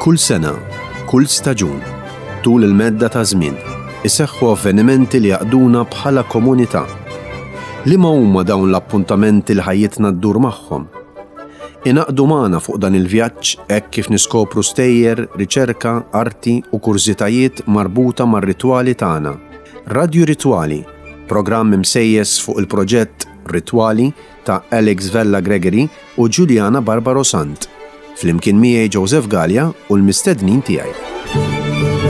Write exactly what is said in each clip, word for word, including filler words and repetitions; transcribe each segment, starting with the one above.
Kull sena, kull staġun, tul il-medda ta' żmien, iseħħu avvenimenti li jaqduna bħala komunità. Liema huma dawn l-appuntamenti li ħajjitna ddur magħhom? Ingħaqdu magħna fuq dan il-vjaġġ hekk kif niskopru stejjer, riċerka, arti u kurżitajiet marbuta mar-ritwali tagħna. Radju Ritwali, programm imsejjes fuq il-proġett Ritwali ta' Alex Vella Gregory u Giuliana Barbaro Sant. Flimkien miegħi Joseph Gallia u l-mistednin tiegħi.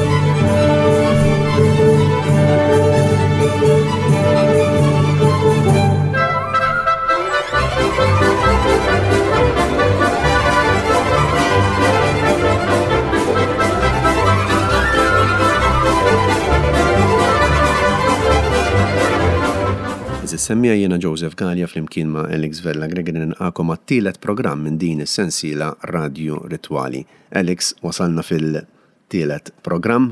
Semmija jiena Joseph Gallia flimkien ma' Alex Vella Gregory nilqagħkom għat-tielet programm minn din is-sensiela Radju Ritwali. Alex, wasalna fil-tielet programm.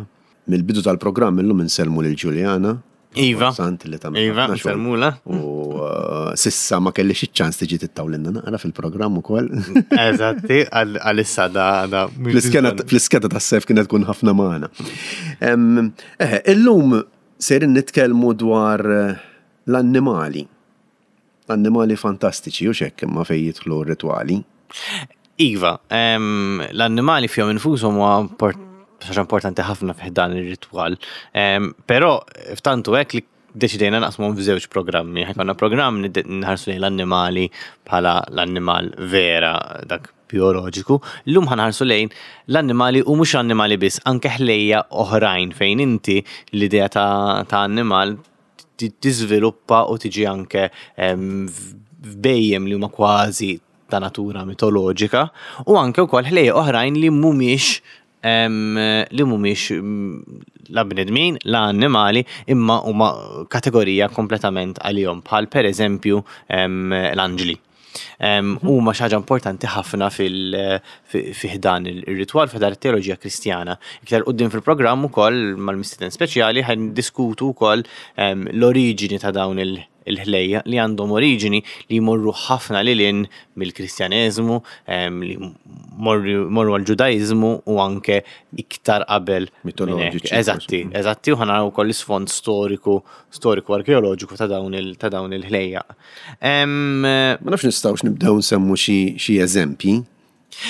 Mill-bidu tal-programm illum insellmu lil Giuliana. Iva. Sant li tagħmel Iva, ħafna xogħol. nsellmula. U uh, sissa ma kellix iċ-ċans tiġi tittawlinna naqra fil-programm ukoll. Eżatti, għalissa da da. Fl-iskeda fl-iskeda tas-sef kienet tkun ħafna magħna. Em, Eħe, illum sejrin nitkellmu dwar eh, l-annimali. L-annimali fantastiċi u xekk imma fejn jidħlu r-ritwali. Iva, em, l-annimali fihom infushom huwa import- ħaġa importanti ħafna f'dan ir-ritwal. Em, Però ftantu hekk li deċidejna naqsmuhom f'żewġ programmi. Ħa jkollna programm nid- nħarsu lejn l-annimali bħala l-annimal vera dak bioloġiku. Illum ħa nħarsu lejn l-annimali u mhux annimali biss, anke ħlejja oħrajn fejn inti l-idea ta' ta' annimal ti- tiżviluppa u tiġi anke em, f'bejjem li huma kważi ta' natura mitoloġika u anke wkoll ħlejja oħrajn li mhumiex em, li mhumiex mm, la bnedmin, la annimali, imma huma kategorija kompletament għalihom bħal per eżempju em, l-anġli. Em, Huma xi ħaġa importanti ħafna fil fi fi ħdan il-ritwal fi ħdan it-teoloġija Kristjana. Iktar quddiem fil-programm ukoll mal-mistieden speċjali ħa ndiskutu wkoll em, l-oriġini ta' dawn il- il-ħlejja li għandhom oriġini li jmorru ħafna lil hinn mill-Kristjaneżmu, em, li morru morru għal-Ġudaiżmu u anke iktar qabel minn hekk. Mitoloġiċi, Eżatti, forsi. eżatti, u ħa naraw ukoll l-isfond storiku, storiku arkeoloġiku ta' dawn il- ta' dawn il-ħlejja. Em, Ma nafx nistgħux nibdew nsemmu xi xi eżempji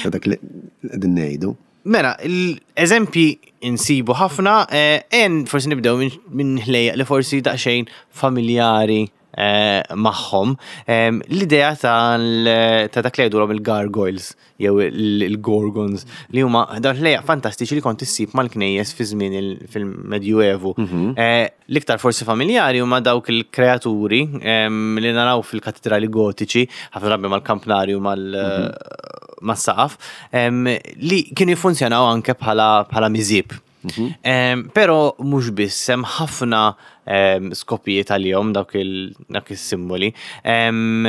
ta' dak li qegħdin ngħidu. Mela, l-eżempji insibu ħafna, eh, en forsi nibdew minn min ħlejja li forsi daqsxejn familjari eh, magħhom. Em, L-idea tal- ta' dak li jgħidulhom il-gargoyles jew il- il-gorgons li huma dawn ħlejja fantastiċi li kont issib mal-knejjes fi żmien il- fil-Medjuevu. Eh, L-iktar forsi familjari huma dawk il-kreaturi em, li naraw fil-katedrali gotiċi, ħafna drabi mal-kampnarju mal- mas-saqaf, em, li kienu jiffunzjonaw anke bħala bħala miżib. Em, Però mhux biss, hemm ħafna em, skopijiet għalihom dawk il- dawk is-simboli. Em,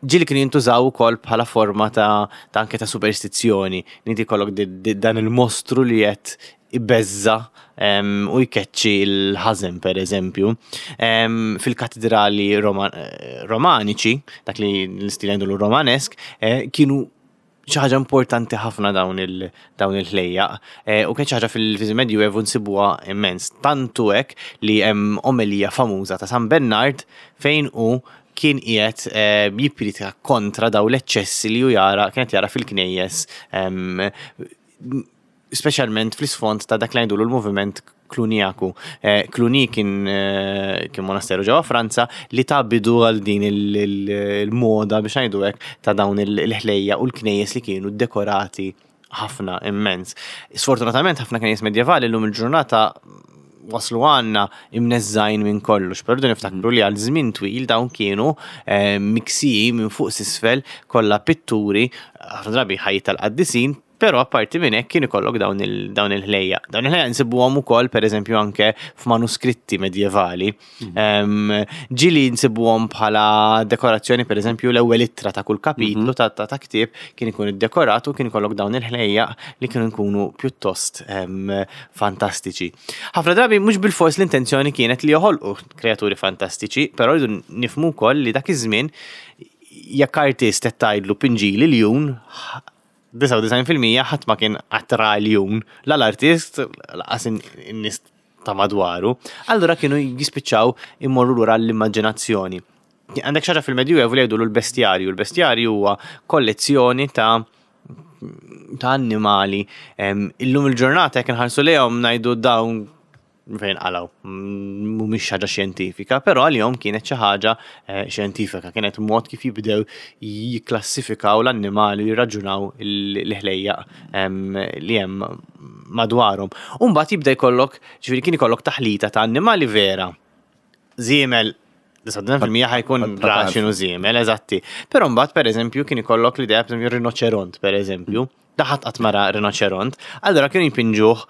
Ġieli kienu jintużaw ukoll bħala forma ta' ta' anke ta' superstizzjoni. Li inti jkollok di- di- dan il-mostru li qed ibeżza em, u jkeċċi l-ħażen per eżempju. Em, Fil-katedrali Roma- eh, romaniċi, dak li l-istil jgħidulu romanesk, eh, kienu xi ħaġa importanti ħafna dawn il dawn il-ħlejjaq. Eh, U kien xi ħaġa fil-Medjuevu nsibuha immens. Tantu hekk li hemm omelija famuża ta' San Bernard fejn hu kien qiegħed eh, jippriedka kontra daw l-eċċessi li hu jara kienet jara fil-knejjes em, speċjalment fl-isfond ta' dak li ngħidulu l-moviment Kluniaku. Eh, Cluny kien eh, kien monasteru ġewwa Franza li ta bidu għal din il- il- il-moda biex ngħidu hekk ta' dawn il- il-ħlejja u l-knejjes li kienu dekorati ħafna immens. Sfortunatament ħafna knejjes medjevali llum il-ġurnata waslu għandna imneżżgħin minn kollox, però rridu niftakru li għal żmien twil dawn kienu eh, miksiji minn fuq s'isfel kollha pitturi, ħafna drabi ħajja tal-qaddisin, però apparti minn hekk kien ikollok dawn il- dawn il-ħlejja. Dawn il-ħlejja nsibuhom ukoll pereżempju anke f'manuskritti medjevali. Em, Ġieli nsibuhom bħala dekorazzjoni pereżempju l-ewwel ittra ta' kull kapitlu ta' ta' ta' ktieb kien ikun iddekorat u kien ikollok dawn il-ħlejja li kienu jkunu pjuttost em, fantastiċi. Ħafna drabi mhux bil-fors l-intenzjoni kienet li joħolqu kreaturi fantastiċi, però rridu nifhmu wkoll li dak iż-żmien jekk artist qed tgħidlu pinġili ljun disgħa u disgħin fil-mija ħadd ma kien qatt ra ljun, la l-artist, lanqas in-nies ta' madwaru. Allura kienu jispiċċaw immorru lura l-immaġinazzjoni. Għandek xi ħaġa fil-Medjuevu li jgħidu l-bestjarju. Il-bestjarju huwa kollezzjoni ta' ta' annimali. Illum il-ġurnata jekk nħarsu lejhom ngħidu, "Dawn fejn qalgħu?" Mhumiex ħaġa xjentifika, però għalihom kienet xi ħaġa eh, xjentifika, kienet mod kif jibdew jikklassifikaw l-annimali u jirraġunaw l-ħlejjaq li hemm madwarhom. U mbagħad jibda jkollok, ġifieri kien ikollok taħlita ta' annimali vera. Żiemel, disgħa u disgħin fil-mija ħa jkun ra x'inhu żiemel, eżatti. Però mbagħad, pereżempju, kien ikollok l-idea, pereżempju rinoċeront, pereżempju. Daħat qatt mara rinoċeront, allura kienu jpinġuh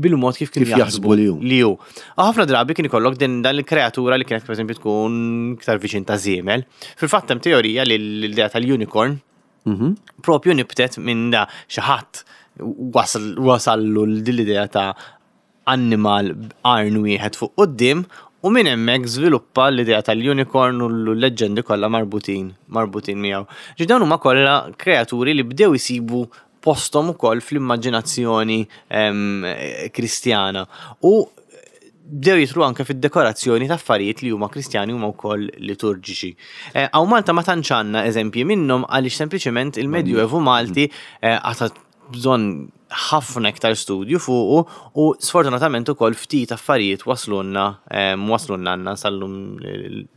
bil-mod kif kienu jaħsbu li hu. Li hu. U ħafna drabi kien ikollok din dan il-kreatura li kienet, pereżempju, tkun iktar viċin ta' żiemel. Fil-fatt hemm teorija li l-idea tal-unicorn mhm. propju nibtet minn da xi ħadd wasallu l-idea ta' annimal b'qarn wieħed fuq quddiem u minn hemmhekk żviluppa l-idea tal-unicorn u l-leġġendi kollha marbutin marbutin miegħu. Ġi dawn huma kollha kreaturi li bdew isibu posthom ukoll fl-immaġinazzjoni Kristjana. U bdew jidħlu anke fid-dekorazzjoni ta' affarijiet li huma Kristjani, huma wkoll liturġiċi. Hawn Malta ma tantx għandna eżempji minnhom għaliex sempliċement il-Medjuevu Malti għata bżonn ħafna iktar studju fuqu u sfortunatament ukoll ftit affarijiet waslunna waslunna għandna sal-lum,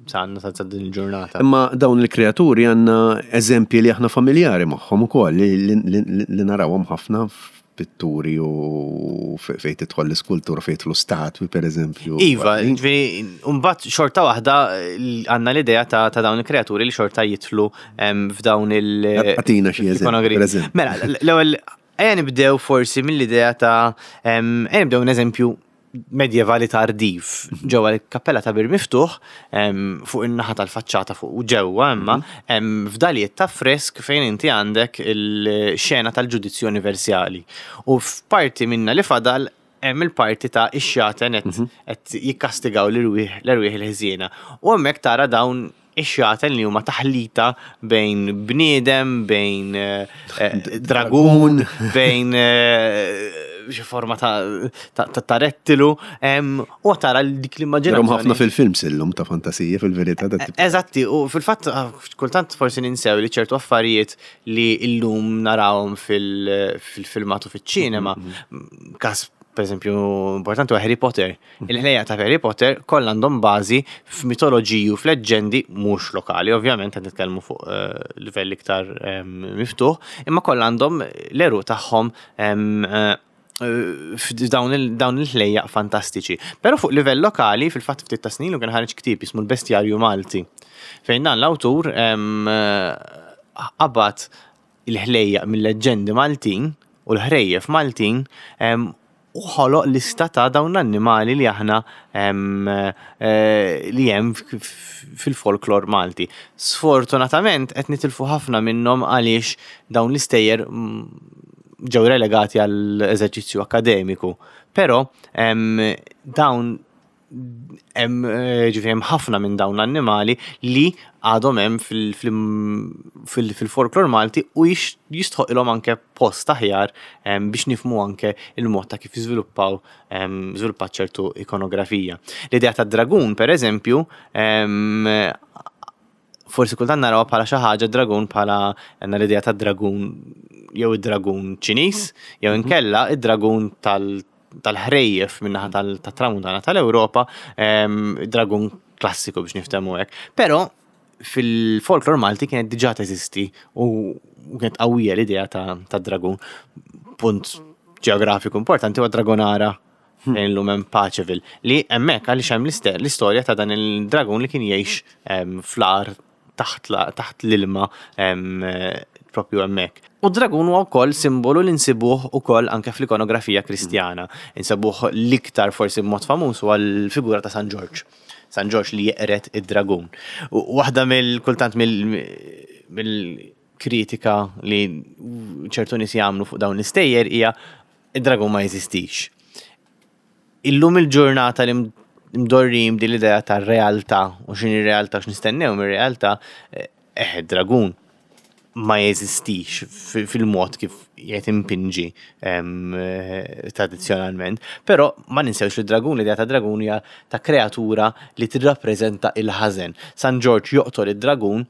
għandna sa din il-ġurnata. Imma dawn il-kreaturi għandna eżempji li aħna familjari magħhom ukoll li narawhom ħafna pitturi u fejn tidħol l-iskultura, fejn tidħlu statwi, per eżempju. Iva, ġifieri, mbagħad xorta waħda għandna l-idea ta' dawn il-kreaturi li xorta jidħlu f'dawn il- Agħtina xi eżempju. Mela, l-ewwel ejja nibdew forsi mill-idea ta' ejja nibdew un eżempju medjevali tardiv ġewwa l-kappella ta' Bir Miftuħ, fuq in-naħa tal-faċċata fuq u ġewwa imma hemm fdalijiet ta' fresk fejn inti għandek il-xena tal-ġudizzju universali. U f'parti minna li fadal hemm il-parti ta' ix-xjaten qed jikkastigaw l-erwieħ il-ħżiena. U hemmhekk tara dawn ix-xjaten li huma taħlita bejn bniedem, bejn dragun, bejn xi forma ta' rettilu, u tara dik l-immaġinazzjoni. ħafna fil-film sillum ta' fantasija fil-verità. Eżatti, u fil-fatt kultant forsi ninsew li ċertu affarijiet li illum narawhom fil-filmatu, fiċ-ċinema, kas per eżempju importanti huwa Harry Potter. Il-ħlejjaq ta' Harry Potter kollha għandhom bażi f'mitoloġiji u f'leġġendi mhux lokali, ovvjament qed nitkellmu fuq livell iktar miftuħ, imma kollha għandhom l-għeruq tagħhom f'dawn il-ħlejjaq fantastiċi. Però fuq livell lokali, fil-fatt ftit ta' snin u kien ħareġ ktieb jismu l-Bestjarju Malti. Fejn dan l-awtur qabad il-ħlejjaq mill-leġġendi Maltin u l-ħrejjef Maltin u ħoloq lista ta' dawn l-annimali li aħna li hemm fil-folklor Malti. Sfortunatament qed nitilfu ħafna minnhom għaliex dawn l-istejjer ġew relegati għall eżerċizzju akademiku. Però dawn hemm, ġifieri, hemm ħafna minn dawn l-annimali li għadhom hemm fil-folklor Malti u jistħoqilhom anke post aħjar biex nifhmu anke il-mod ta' kif jiżviluppaw żviluppat ċertu ikonografija. L-idea ta' dragun, per eżempju, forsi kultant naraw bħala xi ħaġa dragun, bħala għandna l-idea ta' dragun jew id-dragun Ċiniż jew inkella id-dragun tal tal-ħrejjef min-naħa tal-tramuntana tal-Ewropa, dragun klassiku biex niftehmu hekk. Però fil-folklor Malti kienet diġà teżisti u kienet qawwija l-idea ta' dragun. Punt ġeografiku importanti huwa Dragonara fejn illum hemm Paceville, li hemmhekk għaliex hemm l-istorja ta' dan il-dragun li kien jgħix fl-għar taħt l-ilma propju hemmhekk. U dragun huwa wkoll simbolu li nsibuh ukoll anke fl-ikonografija Kristjana. Insibuh l-iktar forsi b'mod famuż huwa l-figura ta' San Ġorġ. San Ġorġ li jeqred id-dragun. U waħda mill-kultant mill-kritika li ċertu nies jagħmlu fuq dawn l-istejjer hija id-dragun ma jeżistix. Illum il-ġurnata li mdorrim din l-idea ta' realtà u x'inhi realtà, x'nistennew mir-realtà, eh, dragun ma jeżistix fil-mod kif qiegħed impinġi eh, tradizzjonalment, però ma ninsewx li dragun, l-idea ta' dragun hija ta' kreatura li tirrappreżenta il-ħażen. San Ġorġ joqtol id-dragun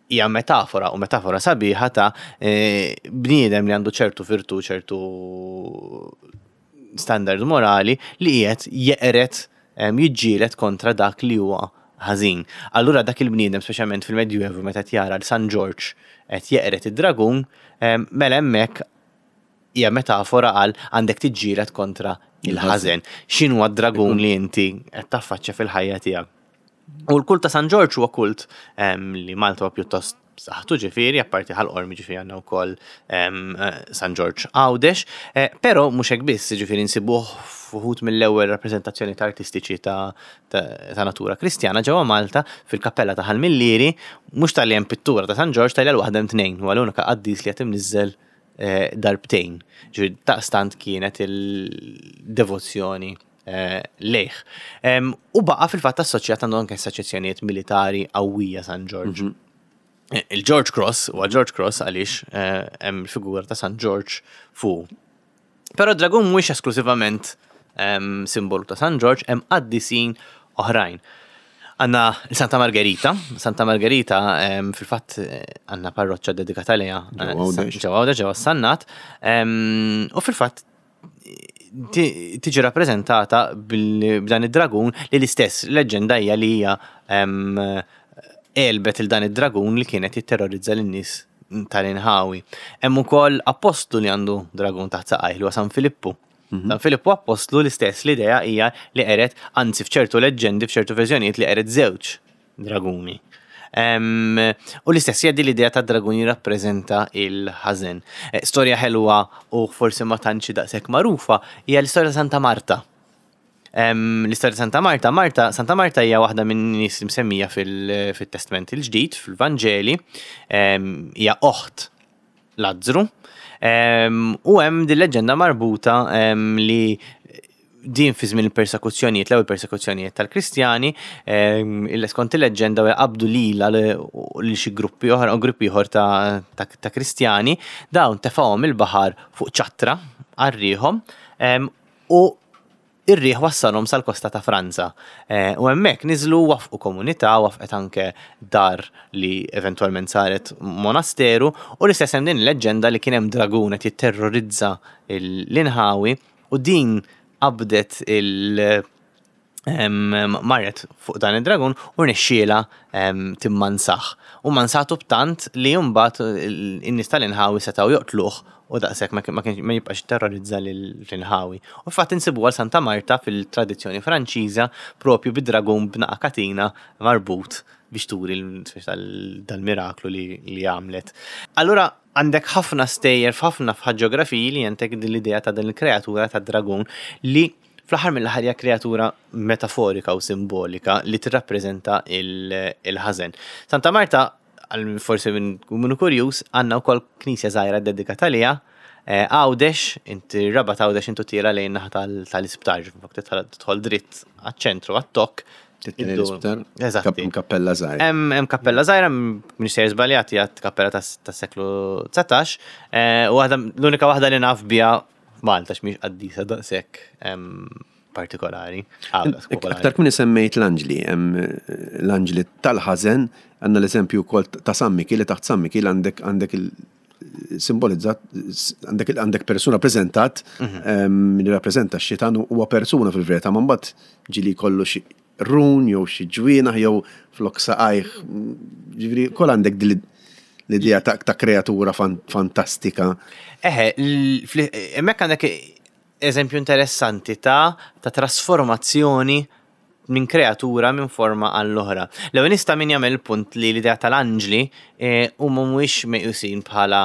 hija metafora u metafora sabiħa ta' eh, bniedem li għandu ċertu virtu, ċertu standard morali li qiegħed jeqret, jiġġieled kontra dak li huwa ħażin. Allura dak il-bniedem, speċjalment fil-Medjuevu, meta jara l San Ġorġ qed jeqret id-dragun, mela hemmhekk hija metafora għal għandek tiġġieled kontra il-ħażen. X'inhu d-dragun li inti qed taffaċċja fil-ħajja tiegħek? U l-kult ta' San Ġorġ huwa kult li Malta huwa pjuttost b'saħħtu, ġifieri, apparti Ħal Qormi, ġifieri għandna wkoll San Ġorġ Għawdex, eh, però mhux hekk biss, ġifieri nsibuh f'uħud mill-ewwel rappreżentazzjoni ta' artistiċi ta', ta' natura kristjana ġewwa Malta fil-kappella ta' Ħal Millieri, mhux talli hemm pittura ta' San Ġorġ, talli għal waħda hemm tnejn, huwa l-unika qaddis li qed imniżżel eh, darbtejn. Ġifieri daqstant kienet il-devozzjoni eh, lejh. U baqa' fil-fatt assoċjat, għandu anke assoċjazzjonijiet militari qawwija San Ġorġ. Mhm. Il-George Cross, u George Cross għaliex hemm il-figura ta' San George fuq. Però dragun mhuwiex esklusivament simbolu ta' San George, hemm qaddisin oħrajn. Għandna Santa Margherita, Santa Margherita fil-fatt għandna parroċċa dedikata lejha ġewwa Għawdex, ġewwa Sannat, u fil-fatt tiġi rappreżentata b'dan id-dragun li l-istess leġġenda hija li hija għelbet il dan id-dragun li kienet jitterrorizza lin-nies tal-inħawi. Hemm ukoll apostlu li għandu dragun taħt saqajh li huwa San Filippu. Mhm. San Filippu apostlu, l-istess l-idea hija li qered, anzi f'ċertu leġġendi, f'ċertu verżjonijiet li qered żewġ draguni. U l-istess jgħaddi l-idea ta' dragun jirrappreżenta il-ħażen. Eh, storja ħelwa u forsi ma tantx daqshekk magħrufa hija l-istorja ta' Santa Marta. L-istorja ta' Santa Marta, Marta, Santa Marta hija waħda minn nies msemmija fil-Testament il-Ġdid, fil-Vanġeli, hija oħt Lazzru. U hemm din leġġenda marbuta li din fi żmien il-persekuzzjonijiet, l-ewwel persekuzzjonijiet tal-Kristjani, il skont il-leġġenda qabdu lila lil xi gruppi oħra u gruppi ieħor ta', ta Kristjani, dawn tefgħuhom il-baħar fuq ċattra għarriħhom u ir-riħ wassalhom sal-kosta ta' Franza. Eh, u hemmhekk niżlu, wafqu komunità, wafqet anke dar li eventwalment saret monasteru, u l-istess hemm din il-leġġenda li kien hemm dragun qed jitterrorizza l-inħawi u din qabdet il- marret fuq dan id-dragun u rnexxiela timmansaħ. U mansatu b'tant li mbagħad in-nies tal-inħawi setgħu joqtluh u daqshekk ma ma jibqax terrorizza l-inħawi. U fatt insibu għal Santa Marta fil-tradizzjoni Franċiża propju bid-dragun b'naqa katina marbut biex turi dal-miraklu li għamlet. Allura għandek ħafna stejjer f'ħafna f'ħaġġografiji li għandek din l-idea ta' din il-kreatura ta' dragun li fl-aħħar mill-aħħar hija kreatura metaforika u simbolika li tirrappreżenta il-ħażen. Santa Marta, forsi minn minnu kurjuż, għandna wkoll knisja żgħira dedikata għaliha. Għawdex, inti Rabat Għawdex intu tira lejn naħa tal-isptar, tidħol dritt għaċ-ċentru għat-tokk. L-isptar? Eżatt. Kappella żgħira. Hemm kappella żgħira, minn żbaljat, hija kappella tas-seklu dsatax, u l-unika waħda li naf biha Malta x'mhix qaddisa daqshekk partikolari. Aktar kmin semmejt l-anġli, l-anġli tal-ħażen, għandna l-eżempju wkoll ta' San Mikiel, li taħt San Mikiel għandek għandek il-simbolizzat, għandek għandek persuna preżentat mhm. li rappreżenta x-xitan, huwa persuna fil-verità, ma mbagħad ġili kollu xi run jew xi ġwienaħ jew flok saqajh, ġifieri kol għandek l-idea ta', ta kreatura fantastika. Eħe, hemmhekk għandek eżempju interessanti ta' ta' trasformazzjoni minn kreatura minn forma għall-oħra. L-ewwel nista' min jagħmel punt li l-idea tal-anġli eh, huma mhuwiex meqjusin bħala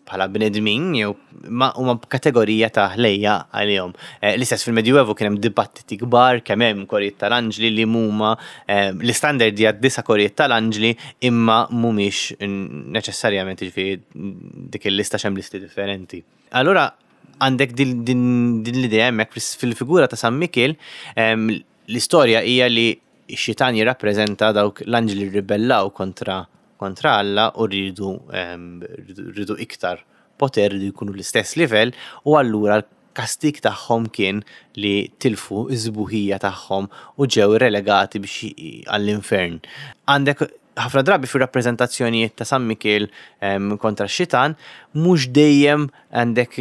bħala bnedmin jew ma huma kategorija ta' ħlejja għalihom. Eh, l-istess fil-Medjuevu kien hemm dibattiti kbar kemm hemm korijiet tal-anġli li huma eh, l-istandard hija disa' korijiet tal-anġli, imma mhumiex neċessarjament, jiġifieri dik il-lista x'hemm listi differenti. Allura għandek din, din, din l-idea hemmhekk fil-figura ta' San Mikiel, l-istorja hija li x-xitan jirrappreżenta dawk l-anġli ribellaw kontra kontra Alla u rridu rridu iktar poter, rridu jkunu l-istess livell, u allura l-kastik tagħhom kien li tilfu iż-żbuħija tagħhom u ġew relegati biex għall-infern. Għandek ħafna drabi fir rappreżentazzjonijiet ta' San Mikiel kontra x-xitan, mhux dejjem għandek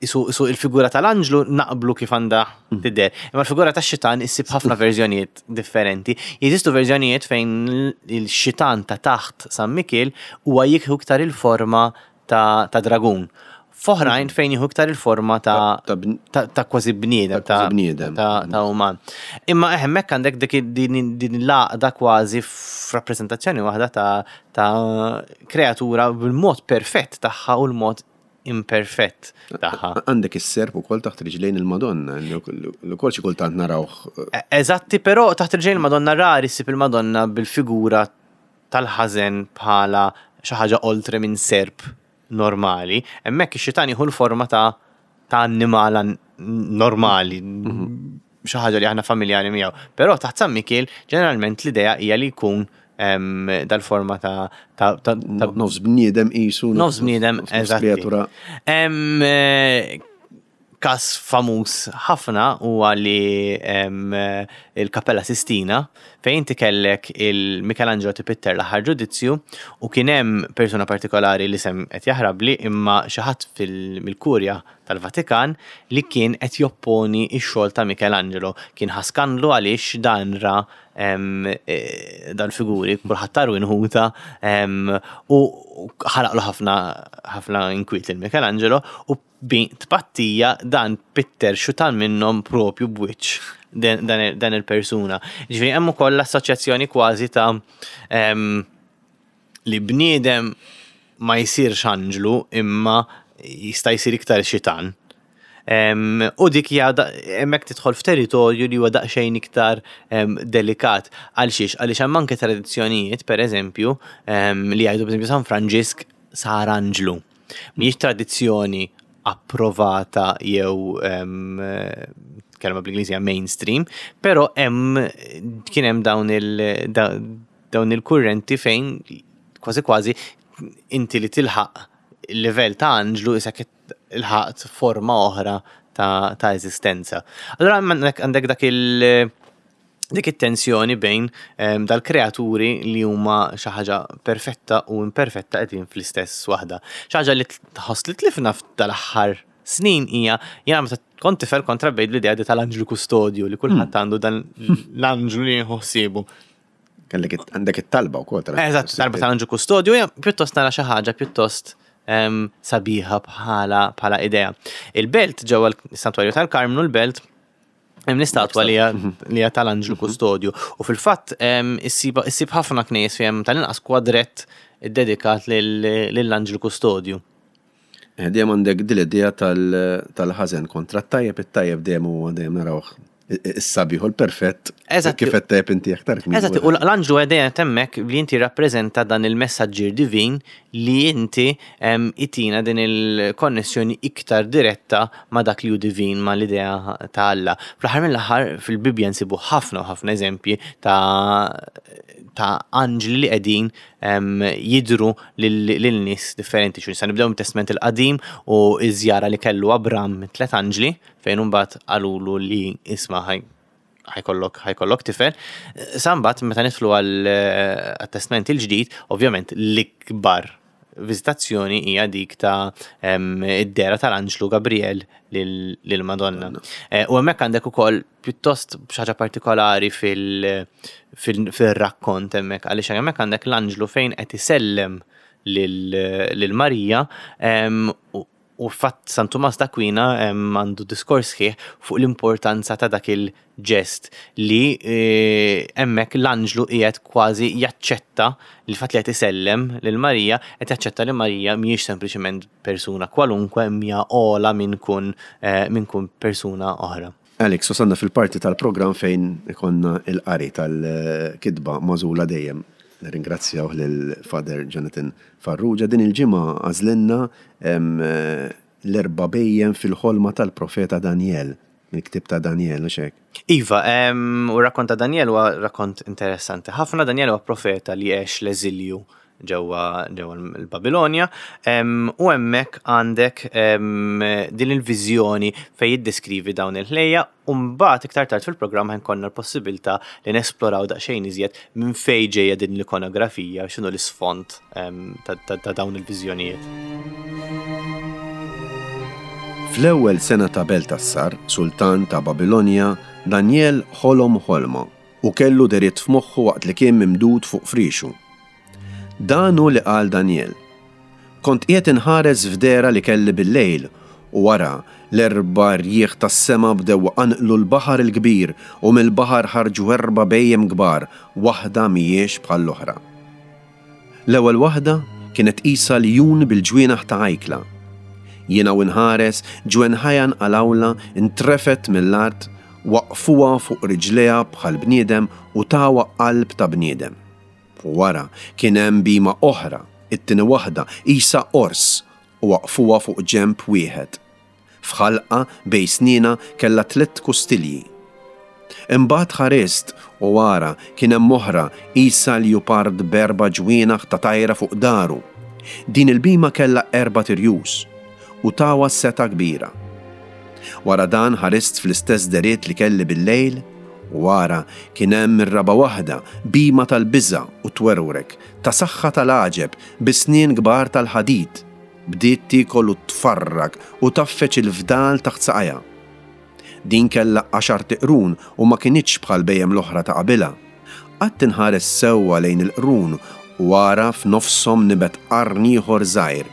isu, isu il-figura tal-anġlu naqblu kif għandha tidher. Imma l-figura tax-xitan issib ħafna verżjonijiet differenti. Jeżistu verżjonijiet fejn il-xitan ta' taħt San Mikiel huwa jieħu iktar il-forma ta', ta dragun. F'oħrajn fejn jieħu iktar il-forma ta' Ta' bn- ta', ta' kważi bniedem, Ta' kważi bniedem. ta', ta' uman. Imma hemmhekk għandek dik din din l-għaqda kważi f'rappreżentazzjoni waħda ta' ta' kreatura bil-mod perfett tagħha u l-mod imperfett tagħha. Għandek is-serp ukoll taħt riġlejn il-Madonna, li wkoll xi kultant narawh. E- Eżatti, però taħt riġlejn il-Madonna rari ssib il-Madonna bil-figura tal-ħażen bħala xi ħaġa oltre minn serp normali. Hemmhekk ix-xitan jieħu l-forma ta' ta' annimal an- normali, xi ħaġa li aħna familjari miegħu. Però taħt San Mikiel ġeneralment l-idea hija li jkun em, dal-forma ta' ta' ta' ta' Nofs bniedem qisu. Nofs bniedem, nofs eżatti. kreatura. Em, eh, Kas famuż ħafna huwa li em, il-Kappella Sistina, fejn inti kellek il-Michelangelo tipitter l-aħħar ġudizzju u kien hemm persuna partikolari li sem qed jaħrabli, imma xi ħadd fil-kurja tal-Vatikan li kien qed jopponi x-xogħol ta' Michelangelo. Kien ħa skandlu għaliex dan ra em, eh, dal-figuri, kulħadd taru inħuta em, u ħalaqlu ħafna ħafna inkwiet lil Michelangelo, u bi tpattija dan pitter xutan minnhom propju b'wiċċ dan, dan, dan il-persuna. Ġifieri hemm ukoll l-assoċjazzjoni kważi ta' em, li bniedem ma jsirx anġlu imma jista' jsir iktar xitan. Em, u dik hija da- hemmhekk tidħol f'territorju li huwa daqsxejn iktar em, delikat. Għal xiex? Għaliex hemm anke tradizzjonijiet, pereżempju, em, li jgħidu, pereżempju, San Franġisk sar anġlu. Mhijiex tradizzjoni approvata jew em, kelma bl-Ingliż hija mainstream, però hemm kien hemm dawn il da, dawn il-kurrenti fejn kważi kważi inti li tilħaq il-livell ta' anġlu isek ilħaqt forma oħra ta', ta' eżistenza. Allora għandek għandek dak il- dik it-tensjoni bejn em, dal-kreaturi li huma xi ħaġa perfetta u imperfetta qegħdin fl-istess waħda. Xi ħaġa li tħoss li tlifna f'dal-aħħar snin hija, jiena meta kont tifel kont trabbejt bl-idea di tal-anġlu kustodju, li kulħadd għandu dan l-anġlu li jieħu ħsiebu. Kellek it- għandek it-talba wkoll tal- Eżatt, talba tal-anġlu kustodju hija pjuttost nara xi ħaġa pjuttost em, sabiħa bħala bħala idea. Il-Belt, ġewwa l-Santwarju tal-Karmnu l-Belt, hemm l-istatwa li hija li hija tal-anġlu kustodju. U fil-fatt em, issib issib ħafna knejjes fejn tal-inqas kwadrett iddedikat lil- lill-anġlu kustodju. Eh, Dejjem għandek din l-idea tal- tal-ħażen kontra t-tajjeb, it-tajjeb dejjem huwa dejjem narawh is-sabiħ u l-perfett. Eżatt. Kif qed tajjeb inti aktar kmieni. Eżatt, u l-anġlu għedejn temmek li inti rappreżenta dan il-messaġġier divin li inti em, itina din il-konnessjoni iktar diretta ma' dak li hu divin, ma' l-idea ta' Alla. Fl-aħħar mill-aħħar fil-Bibbja nsibu ħafna u ħafna eżempji ta' ta' anġli li qegħdin em, jidru lil lil nies differenti. Xu nista' nibdew mit-Testament il-Qadim u iż-żjara li kellu Abram mit tliet anġli fejn imbagħad qalulu li isma' ħaj ħajkollok ħajkollok tifel. Sa mbagħad meta nidħlu għal eh, għat-Testament il-Ġdid, ovvjament l-ikbar viżitazzjoni hija dik ta' em, id-dehra tal-Anġlu Gabriel lil- lil Madonna. Eh, U hemmhekk għandek ukoll pjuttost xi ħaġa partikolari fil- fil- fil-rakkont hemmhekk, għaliex hemmhekk għandek l-anġlu fejn qed isellem lil lil Marija em, u u fatt San Tumas d'Aquina em, għandu diskors sħiħ fuq l-importanza ta' dak il-ġest li eh, hemmhekk l-anġlu qiegħed kważi jaċċetta li fatt li qed isellem lil Marija, qed jaċċetta li Marija mhijiex sempliċement persuna kwalunkwe, hija ogħla minn kun, eh, minn kun persuna oħra. Alex, wasalna fil-parti tal-programm fejn ikonna il-qari tal-kitba magħżula dejjem. Nirringrazzjaw lil Father Jonathan Farrugia. Din il-ġimgħa għażlilna, em, l-erba' bhejjem fil-ħolma tal-profeta Daniel. mill-ktieb ta' Daniel u xek. Iva, em, u rakkont ta' Daniel huwa rakkont interessanti ħafna. Daniel huwa profeta li għex l-eżilju ġewwa ġewwa l-Babilonja em, u hemmhekk għandek em, din il-viżjoni fejn jiddeskrivi dawn il-ħlejjaq u mbagħad iktar tard fil-programm ħa jkollna l-possibilità li nesploraw daqsxejn iżjed minn fejn ġejja din l-ikonografija, x'inhu l-isfond em, ta' ta' ta' dawn il-viżjonijiet. Fl-ewwel sena ta' Beltassar, sultan ta' Babilonja, Daniel ħolom ħolma u kellu dehriet f'moħħu waqt li kien mimdud fuq frixu. Dan hu li qal Daniel. Kont qiegħed inħares f'dehra li kelli bil-lejl u ara l-erba' rjieħ tas-sema bdew iqanqlu l-baħar il-kbir u mill-baħar ħarġu erba' bhejjem kbar, waħda mhijiex bħall-oħra. L-ewwel waħda kienet qisha ljun bil-ġwienaħ ta' ajkla. Jiena u nħares ġwenħajha nqalgħulha intrefgħet mill-art, waqqfuha fuq riġlejha bħal bniedem u tawha qalb ta' bniedem. U wara kien hemm bhima oħra, it-tieni waħda qisha ors u waqqfuha fuq ġenb wieħed. F'ħalqha bejn snienha kellha tliet kustilji. Imbagħad ħarist u wara kien hemm oħra qisha ljupard b'erba' ġwienaħ ta' tajra fuq dahru. Din il-bhima kellha erbat irjus u tawha setgħa kbira. Wara dan ħarist fl-istess dehriet li kelli bil-lejl u wara kien hemm ir-raba' waħda bhima tal-biża' u twerwrek, ta' saħħa tal-għaġeb bi snien kbar tal-ħadid, bdiet tiekol u tfarrak u tgħaffeġ il-fdal taħt saqajha. Din kellha għaxart iqrun u ma kinitx bħal bhejjem l-oħra ta' qabilha. Qgħadt inħares sewwa lejn il-qrun u wara f'nofshom nibet qarn ieħor żgħir.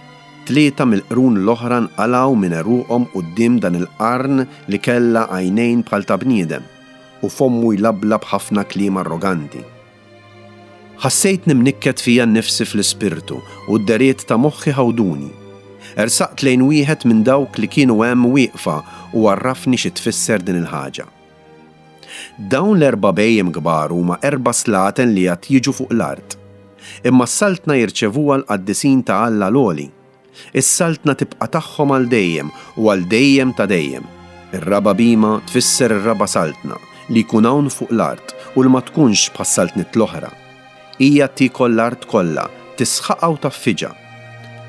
Tlieta mill-qrun l-oħra nqalgħu minn għeruqhom quddiem dan il-qarn li kellha għajnejn bħal ta' bniedem u fommu jlablab ħafna kliem arroganti. Ħassejtni mnikket fija nnifsi fl-ispirtu u d-dehriet ta' moħħi ħawduni. Ersaqt lejn wieħed minn dawk li kienu hemm wieqfa u għarrafni xi tfisser din il-ħaġa. Dawn l-erba' bhejjem kbar huma erba' slaten li għad jiġu fuq l-art. Imma s-saltna jirċevuha l-qaddisin ta' Alla l-Għoli. Is-saltna tibqa' tagħhom għal dejjem u għal dejjem ta' dejjem. Ir-raba' bhima tfisser ir-raba' saltna li jkun hawn fuq l-art u li ma tkunx bħas-saltniet l-oħra. Hija tiekol l-art kollha, tisħaqha u tgħaffiġha.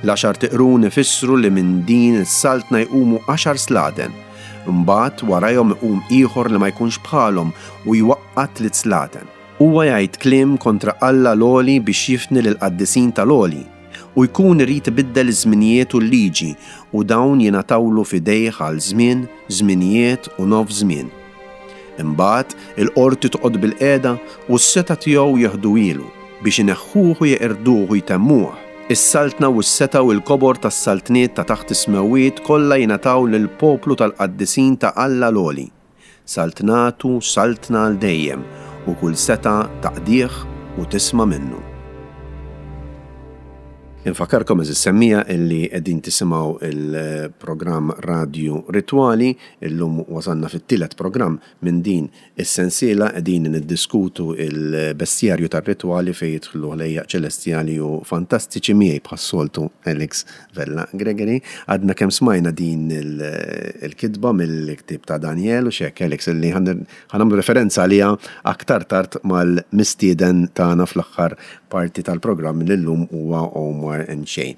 L-għaxart iqrun ifissru li minn din is-saltna jqumu għaxar slaten, imbagħad warajhom iqum ieħor li ma jkunx bħalhom u jwaqqa' tliet slaten. Huwa jgħid kliem kontra Alla l-Għoli biex jifni lill-qaddisin tal-Għoli u jkun irid ibiddel iż-żminijiet u l-liġi u dawn jingħatawlu f'idejh għal żmien, żminijiet u nofs żmien. Imbagħad il-qorti toqgħod bil-qiegħda u s-setgħa tiegħu jeħduhielu biex ineħħuh u jeqirduh u jtemmuh. Is-saltna u s-setgħa u l-kobor tas-saltniet ta' taħt is-smewwiet kollha jingħataw lill-poplu tal-qaddisin ta' Alla l-Għoli. Saltnatu saltna għal dejjem u kull setgħa taqdih u tisma' minnu. Infakkarkom għeżież semmiegħa illi qegħdin tisimgħu il-programm Radio Ritwali, illum wasalna fit-tielet programm minn din is-sensiela qegħdin niddiskutu il-bestjarju tar-ritwali fejn jidħlu ħlejjaq ċelestjali u fantastiċi miegħi bħas-soltu Alex Vella Gregory. Għadna kemm smajna din il-kitba mill-ktieb ta' Daniel u xek Alex illi ħa nagħmlu referenza għaliha aktar tard mal-mistieden tagħna fl-aħħar parti tal-programm li llum huwa Omar N'Shea.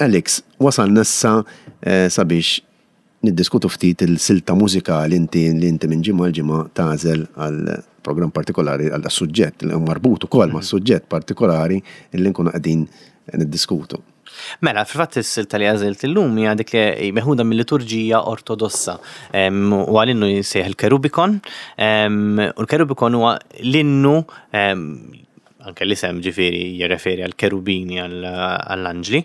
Alex, wasalna issa eh, sabiex niddiskutu ftit il-silta mużikali inti li inti minn ġimgħa l-ġimgħa tagħżel għal programm partikolari għal suġġett li marbut ukoll ma' suġġett partikolari li nkunu qegħdin niddiskutu. Mela, fil-fatt is-silta li għażilt illum hija dik li meħuda mill-liturġija ortodossa. U għal-innu jissejjaħ il-Kerubikon. U l-Kerubikon huwa l-innu anke l-isem ġifieri jirreferi għal kerubini għall-anġli,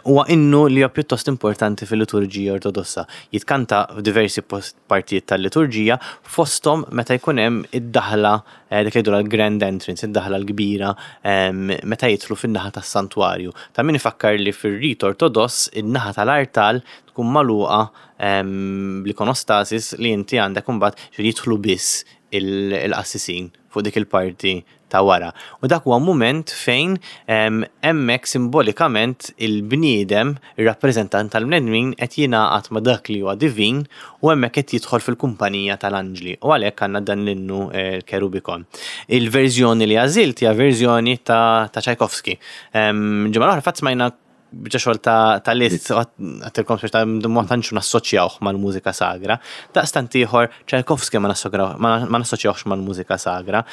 huwa innu li huwa pjuttost importanti fil-liturġija ortodossa. Jitkanta f'diversi partijiet tal-liturġija fosthom meta jkun hemm id-daħla dik li jgħidu l-grand entrance, id-daħla l-kbira meta jidħlu fin-naħa tas-santwarju. Ta' min ifakkar li fir-rit ortodoss in-naħa tal-artal tkun magħluqa bl-ikonostasis li inti għandek imbagħad jidħlu biss il-qassisin fuq dik il-parti ta' wara. U dak huwa mument fejn hemmhekk simbolikament il-bniedem, ir-rappreżentant tal-bnedmin qed jingħaqad ma' dak li huwa divin u hemmhekk qed jidħol fil-kumpanija tal-anġli u għalhekk għandna dan l-innu l-Kerubikon. Il-verżjoni li għażilt hija verżjoni ta' Tchaikovsky. Ġimgħa l-oħra fatt smajna biċċa xogħol ta' Liszt, għedtilkom biex ta' ma tantx nassoċjawh mal-mużika sagra. Daqstant ieħor Tchaikovsky ma nassoċjawhx mal-mużika sagra.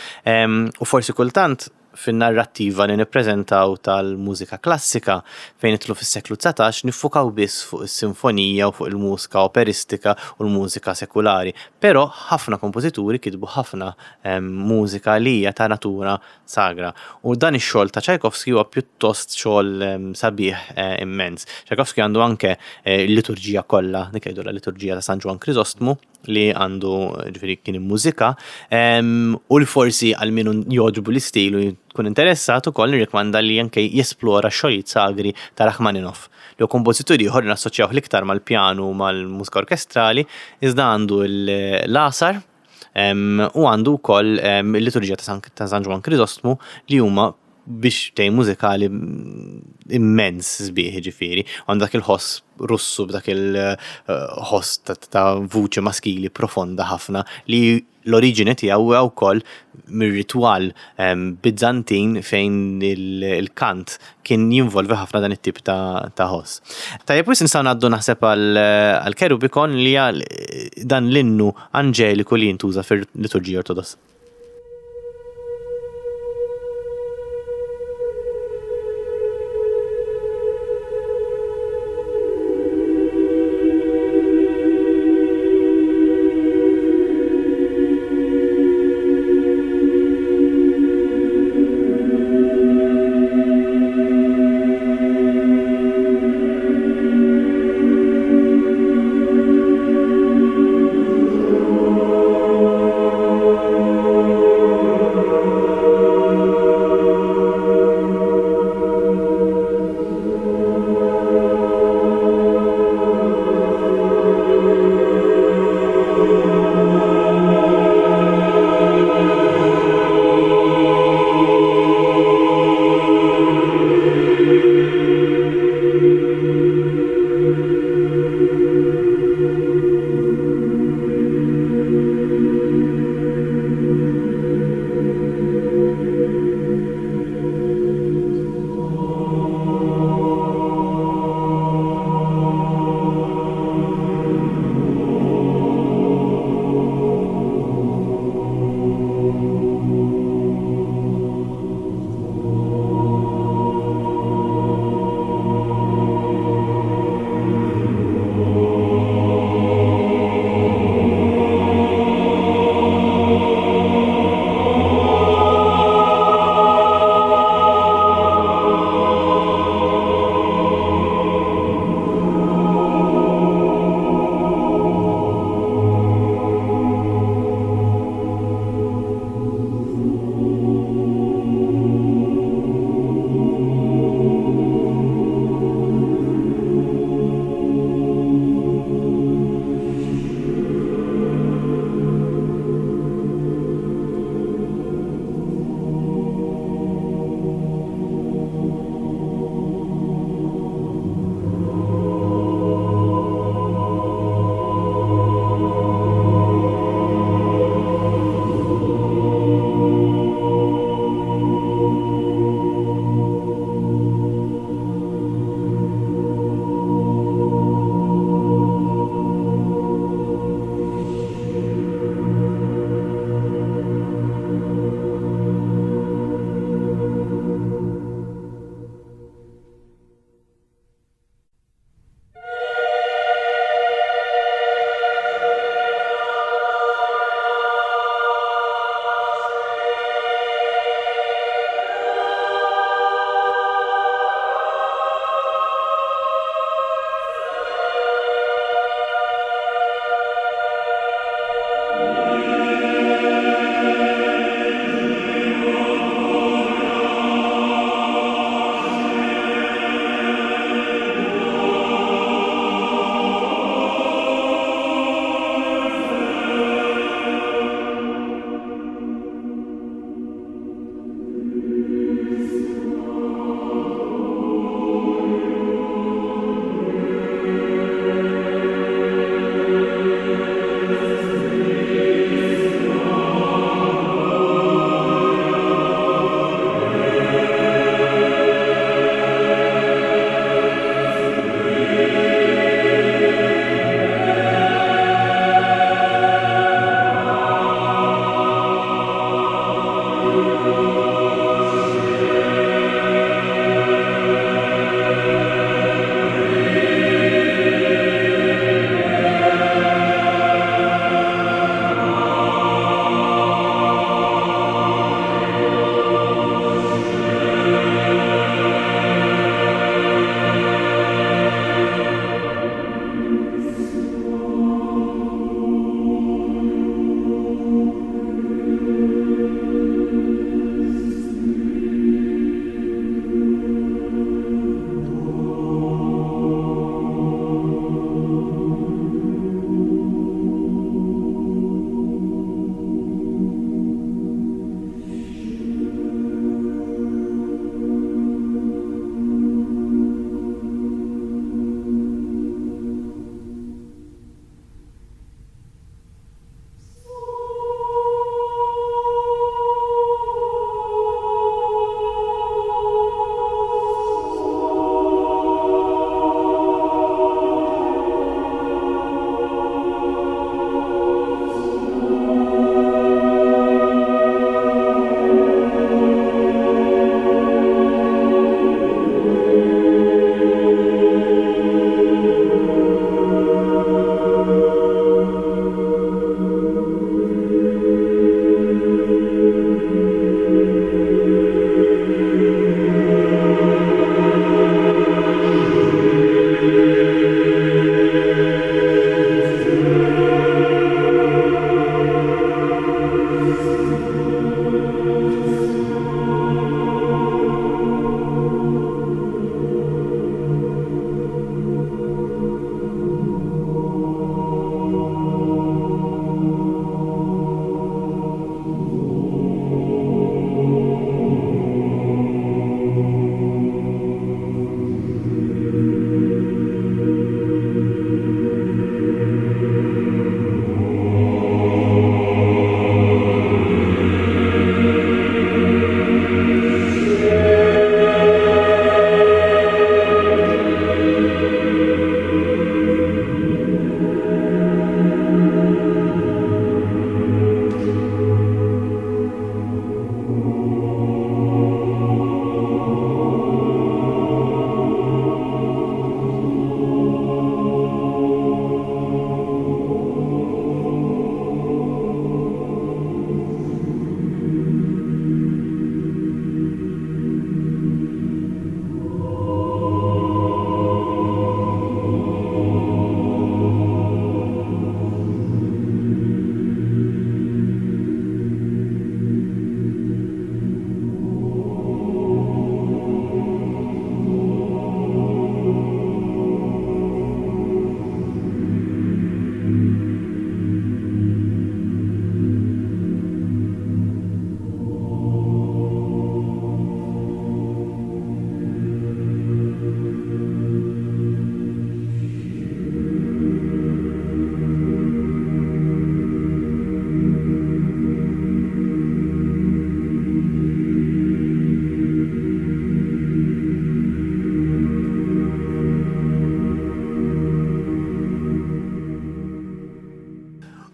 U forsi kultant fin-narrattiva li nippreżentaw tal-mużika klassika fejn nidħlu fis-seklu dsatax niffukaw biss fuq is-sinfonija u fuq il-mużika operistika u l-mużika sekulari. Però ħafna kompożituri kitbu ħafna mużika li hija ta' natura sagra. U dan ix-xogħol ta' Tchaikovsky huwa pjuttost xogħol sabiħ immens. Tchaikovsky għandu anke l-liturġija kollha, dik jgħidu la liturġija ta' San Ġwann Krisostmu li għandu ġifieri kien immużika u li forsi għal min jogħġbu l-istil u jkun interessat ukoll nirrikmanda li anke jesplora xogħlijiet sagri ta' Rachmaninoff. Li hu kompożitur ieħor li nassoċjawh l-iktar mal-pjanu u mal-mużika orkestrali, iżda għandu l-għasar u għandu wkoll il-liturġija ta' San Ġwann Krisostmu li huma biex tej mużikali immens sbieħ ġifieri. Għandu dak il-ħoss Russu b'dak il-ħoss ta' vuċi maskili profonda ħafna li l-oriġini tiegħu huwa wkoll mir-ritwal Bizzantin fejn il-kant kien jinvolvi ħafna dan it-tip ta' ħoss. Tajjeb, wis nistgħu ngħaddu naħseb għal Kerubikon li hija dan l-innu anġeliku li jintuża fil-liturġija Ortodossa. Thank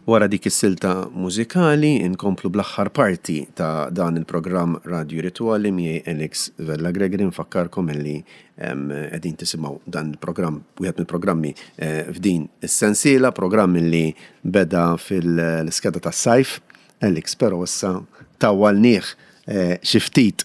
Wara dik is-silta mużikali inkomplu bl-aħħar parti ta' dan il-programm Radio Rituali miegħi Alex Vella Gregory. Nfakkarkom illi qegħdin tisimgħu dan il-programm, wieħed mill-programmi eh, f'din is-sensiela, programm li beda fil-skeda tas-sajf, Alex, però issa tawwalnieh eh, xi ftit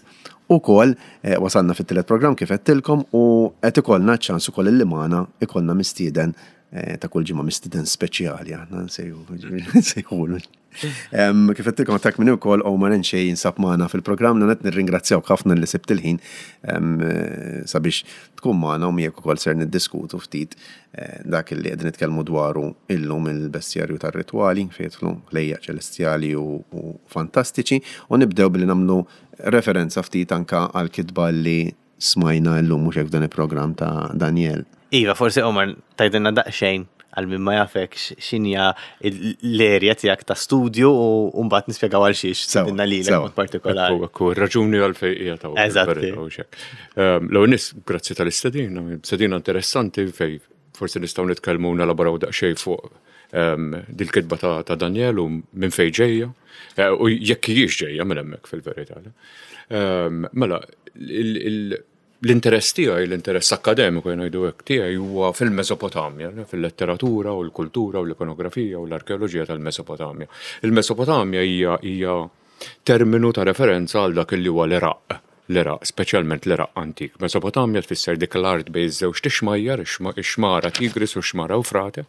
ukoll, eh, wasalna fit-tielet programm kif għedtilkom u qed ikollna ċans ukoll illi magħna ikollna mistieden Eh, ta' kull ġimgħa, mistieden speċjali aħna nsejħulu. Kif għedtilkom ta' minn ukoll Omar N'Shea jinsab magħna fil-programm. Net nirringrazzjawk ħafna li sibt il-ħin eh, sabiex tkun magħna u miegħek ukoll ser niddiskutu ftit eh, dak li qegħdin nitkellmu dwaru illum, il-bestjarju tar-ritwali fejn jidħlu ħlejjaq ċelestjali u fantastiċi, u nibdew billi nagħmlu referenza ftit anka għal kitba li smajna llum, mhux hekk, dan il-programm ta' Daniel. Iva, forsi Omar tgħidilna daqsxejn għal min ma jafek x'inhija l-erja tiegħek ta' studju u mbagħad nispjegaw għal xiex stedinna lilek mod partikolari. Ekku, raġuni għal fejn hija ta' Eżatt. L-ewwel nett, grazzi tal-istedina, stedina interessanti fej forsi nistgħu nitkellmu, nelaboraw daqsxejn fuq ehm, dil-kitba ta' Daniel u minn fej ġejja eh, u jekk hijiex ġejja minn hemmhekk fil-verità. Ehm, mela, l-interess tiegħi, l-interess akademiku ngħidu hekk tiegħi huwa fil-Mesopotamja, fil-letteratura u l-kultura u l-ikonografija u l-arkeoloġija tal-Mesopotamja. Il-Mesopotamja hija hija terminu ta' referenza għal dak li huwa l-Iraq, l-Iraq, speċjalment l-Iraq antik. Mesopotamja tfisser dik l-art bejn iż-żewġt ixmajjar, ix-xmara Tigris u x-xmara Eufrate.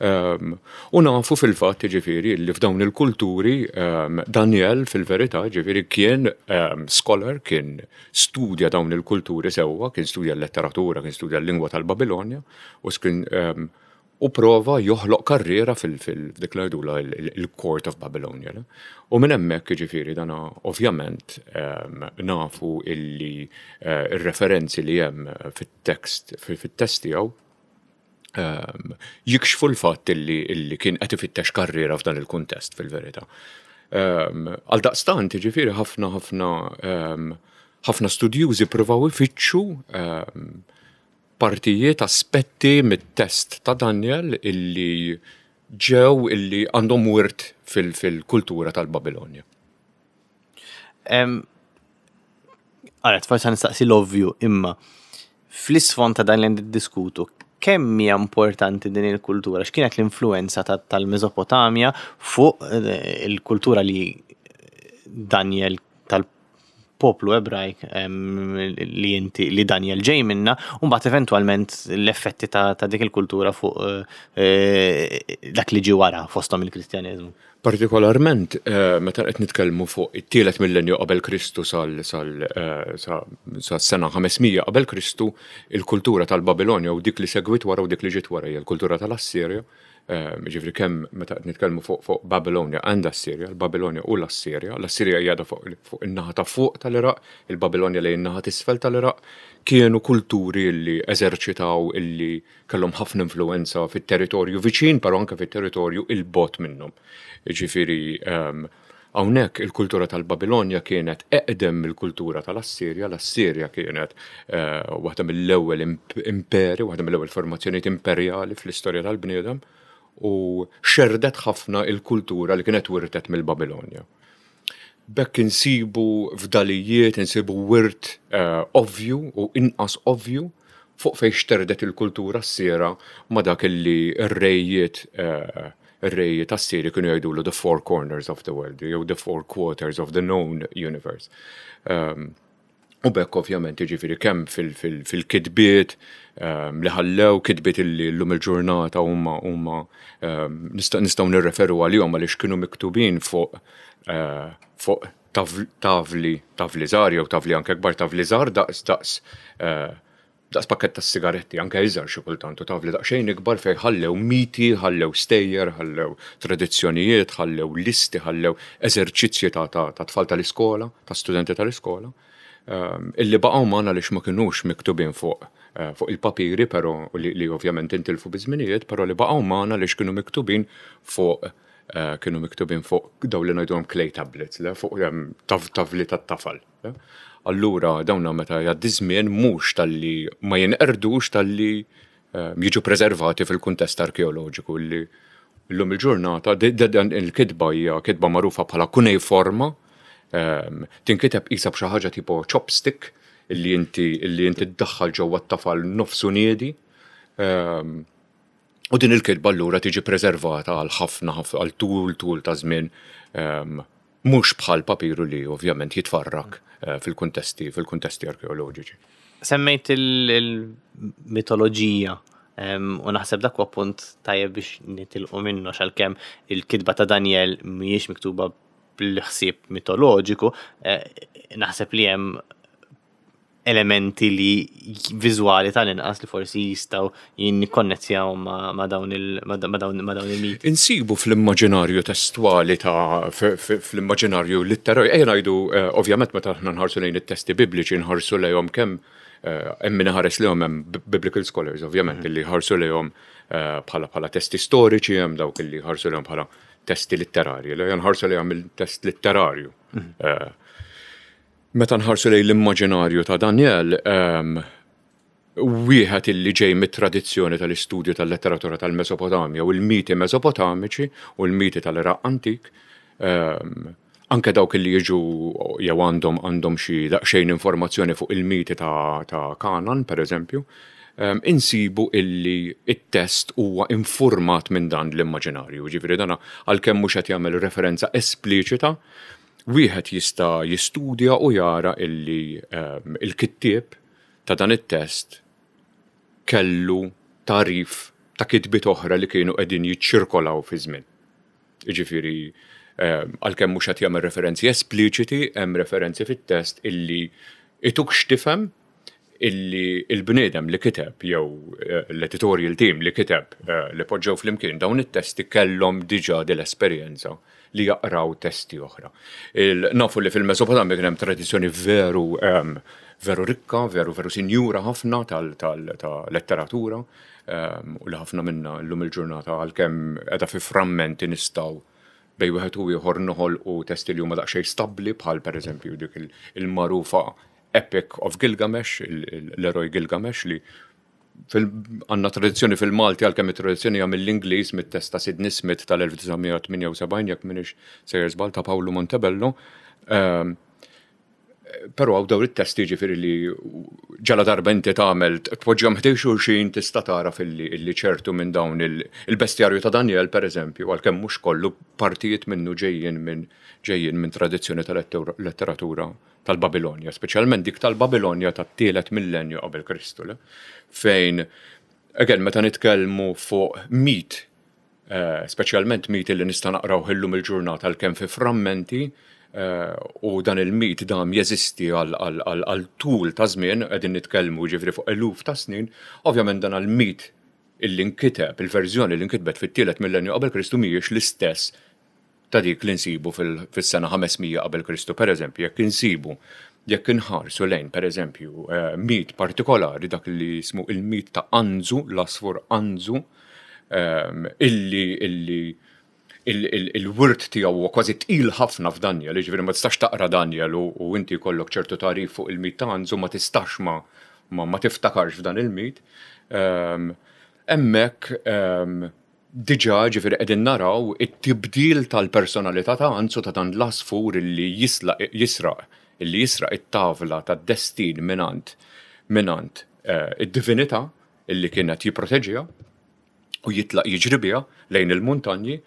Um, u nafu fil-fatt ġifieri li f'dawn il-kulturi um, Daniel fil-verità ġifieri kien um, scholar, kien studja dawn il-kulturi sewwa, kien studja l-letteratura, kien studja l-lingwa tal-Babilonja u kien um, u prova joħloq karriera fil-dik li ngħidula il-Court of Babylonia. U minn hemmhekk ġifieri dana ovvjament um, nafu illi uh, ir-referenzi li hemm fit-tekst fit-test tiegħu um, jikxfu l-fatt illi, illi kien qed ifittex karriera f'dan il-kuntest fil-verità. Um, Għal daqstant, ġifieri ħafna ħafna um, ħafna studjużi provaw ifittxu um, partijiet, aspetti mit-test ta' Daniel illi ġew illi għandhom wirt fil-kultura tal-Babilonja. Għaret, forsi nistaqsi l-ovvju, imma fl-isfond ta' dan li diskutu, kemm hija importanti din il-kultura? X'kienet l-influenza tal-Mesopotamja fuq eh, il-kultura li Daniel, tal-poplu Ebrajk li inti li Daniel ġej minna, u mbagħad eventwalment l-effetti ta', ta dik il-kultura fuq eh, dak li ġi wara, fosthom il-Kristjaneżmu? Partikolarment, eh, meta qed nitkellmu fuq it-tielet millenju qabel Kristu sal sal eh, sa sena ħames mija qabel Kristu, il-kultura tal-Babilonja u dik li segwit wara u dik li ġiet wara hija l-kultura tal-Assirja. Eh, ġifieri kemm meta qed nitkellmu fuq fuq Babilonia and Assirja, l-Babilonia u l-Assirja, l-Assirja hija fuq fuq in-naħa ta' fuq tal-Iraq, il-Babilonia lejn in-naħa t'isfel tal-Iraq, kienu kulturi li eżerċitaw, illi kellhom ħafna influenza fit-territorju viċin, però anke fit-territorju 'il bogħod minnhom. Ġifieri, um, hawnhekk il-kultura tal-Babilonja kienet eqdem mill-kultura tal-Assirja. L-Assirja kienet uh, waħda mill-ewwel imperi, waħda mill-ewwel formazzjonijiet imperjali fl-istorja tal-bniedem u xerdet ħafna il-kultura li kienet wirtet mill-Babilonja. B'hekk insibu fdalijiet, insibu wirt uh, ovvju u inqas ovvju fuq fej xterdet il-kultura assira ma dak illi r-rejiet uh, ir-rejiet Assiri kienu jgħidulu the four corners of the world, jew the four quarters of the known universe. Um, u b'hekk ovvjament jiġifieri kemm fil-kitbiet um, li ħallew, kitbiet illi llum il-ġurnata huma huma um, nistgħu nirreferu għalihom għaliex kienu miktubin fuq uh, fuq tavli tavli żgħar jew tavli anke kbar, tavli żgħar daqs daqs uh, daqs pakket ta' sigaretti, anke iżgħar xi kultant, u tavli daqsxejn ikbar fejn ħallew miti, ħallew stejjer, ħallew tradizzjonijiet, ħallew listi, ħallew eżerċizzji ta' ta' tfal tal-iskola, ta' studenti tal-iskola, um, illi baqgħu magħna għaliex ma kinux miktubin fuq eh, fuq il-papiri, però li, li ovvjament intilfu biż-żminijiet, però li baqgħu magħna għaliex kienu miktubin fuq eh, kienu miktubin fuq daw li ngħidulhom clay tablets, le, fuq tavli tat-tafal. Allura dawna meta jgħaddi żmien mhux talli ma jinqerdux, talli eh, jiġu preservati fil-kuntest arkeoloġiku li Illum il-ġurnata, dan il-kitba hija kitba magħrufa bħala kuneiforma, ehm, tinkiteb qisha b'xi ħaġa tipo chopstick illi inti illi inti ddaħħal ġewwa t-tafal nofsu niedi. Ehm, u din il-kitba allura tiġi preservata għal ħafna għal tul tul ta' żmien, ehm, mhux bħal papiru li ovvjament jitfarrak eh, fil-kuntesti fil-kuntesti arkeoloġiċi. Semmejt il-mitoloġija u naħseb dak huwa punt tajjeb biex nitilqu minnu, għalkemm il-kitba ta' Daniel mhijiex miktuba bil-ħsieb mitoloġiku, eh, naħseb li hemm elementi li viżwali tal-inqas li forsi jistgħu jinkonnettjaw ma' dawn il-miti. Insibu fl-immaġinarju testwali ta' fl-immaġinarju litterarju, ejja ngħidu, eh, ovvjament meta aħna nħarsu lejn it-testi bibliċi nħarsu lejhom kemm eh, hemm min iħares lejhom, hemm biblical scholars ovvjament li ħarsu lejhom eh, bħala bħala testi storiċi, hemm dawk li ħarsu lejhom bħala testi litterarji, li nħarsu lejhom il-test litterarju. Mhm. Meta nħarsu lejn l-immaġinarju ta' Daniel, um, wieħed illi ġej mit-tradizzjoni tal-istudju tal-letteratura tal-Mesopotamja u l-miti Mesopotamiċi u l-miti tal-Iraq antik, um, anke dawk li jiġu jew għandhom għandhom xi daqsxejn informazzjoni fuq il-miti ta', ta Kanan, per eżempju, um, insibu illi it-test huwa informat minn dan l-immaġinarju. Ġifieri dana għalkemm mhux qed jagħmel referenza espliċita, wieħed jista' jistudja u jara illi um, il-kittieb ta' dan it-test kellu tagħrif ta' kitbiet oħra li kienu qegħdin jiċċirkolaw fi żmien. Jiġifieri um, għalkemm mhux qed jagħmel referenzi espliċiti, hemm referenzi fit-test illi ituk x'tifhem illi il-bniedem li kiteb jew eh, l-editorial team li kiteb eh, li poġġew flimkien dawn it-testi kellhom diġà dil-esperjenza li jaqraw testi oħra. Nafu li fil-Mesopotamja kien hemm tradizzjoni veru um, veru rikka, veru veru sinjura ħafna tal-letteratura um, u li ħafna minna llum il-ġurnata, għalkemm qiegħda fi frammenti, nistgħu bejn wieħed u ieħor noħolqu testi li huma daqsxejn stabbli, bħal pereżempju dik il-magħrufa Epic of Gilgamesh, l-eroj Gilgamesh, li għandna tradizzjoni fil-Malti, għalkemm it-tradizzjoni hija mill-Ingliż, mit-test ta' Sidney Smith tal-elf disa' mija tmienja u sebgħin, jekk m'iniex sejjer żball, ta' Paolo Montebello. Ehm, Però hawn dawn it-testi, ġifieri li ġala darba inti tagħmel tpoġġihom ħdejn xulxin tista' tara filli illi ċertu minn dawn il-bestjarju ta' Daniel, per eżempju, għalkemm mhux kollu, partijiet minnu ġejjin minn ġejjin minn tradizzjoni tal-letteratura tal-Babilonja, speċjalment dik tal-Babilonja tat-tielet millenju qabel Kristu, le? Fejn, again, meta nitkellmu fuq mit, eh, speċjalment mit li nista' naqraw illum il-ġurnata għalkemm fi frammenti, eh, u dan il-mit dam jeżisti għal tul ta' żmien, qegħdin nitkellmu ġifieri fuq eluf ta' snin, ovvjament dan il-mit illi nkiteb, il-verżjoni li nkitbet fit-tielet millenju qabel Kristu mhijiex l-istess ta' dik li nsibu fis-sena ħames mija qabel Kristu. Per eżempju, jekk insibu, jekk inħarsu lejn, per eżempju, eh, mit partikolari, dak li jismu il-mit ta' Anzu, l-asfur Anzu, ehm, illi illi il-wirt tiegħu huwa kważi tqil ħafna f'Daniel, jiġifieri ma tistax taqra Daniel u inti jkollok ċertu tagħrif fuq il-mit ta' Anzu ma tistax ma ma tiftakarx f'dan il-mit. Ehm, hemmhekk ehm, diġà ġifieri qegħdin naraw it-tibdil tal-personalità ta' Anzu, ta' dan l-asfur illi jisraq illi jisraq it-tavla tad-destin mingħand mingħand eh, id-divinità illi kienet jipproteġiha u jitlaq jiġri biha lejn il-muntanji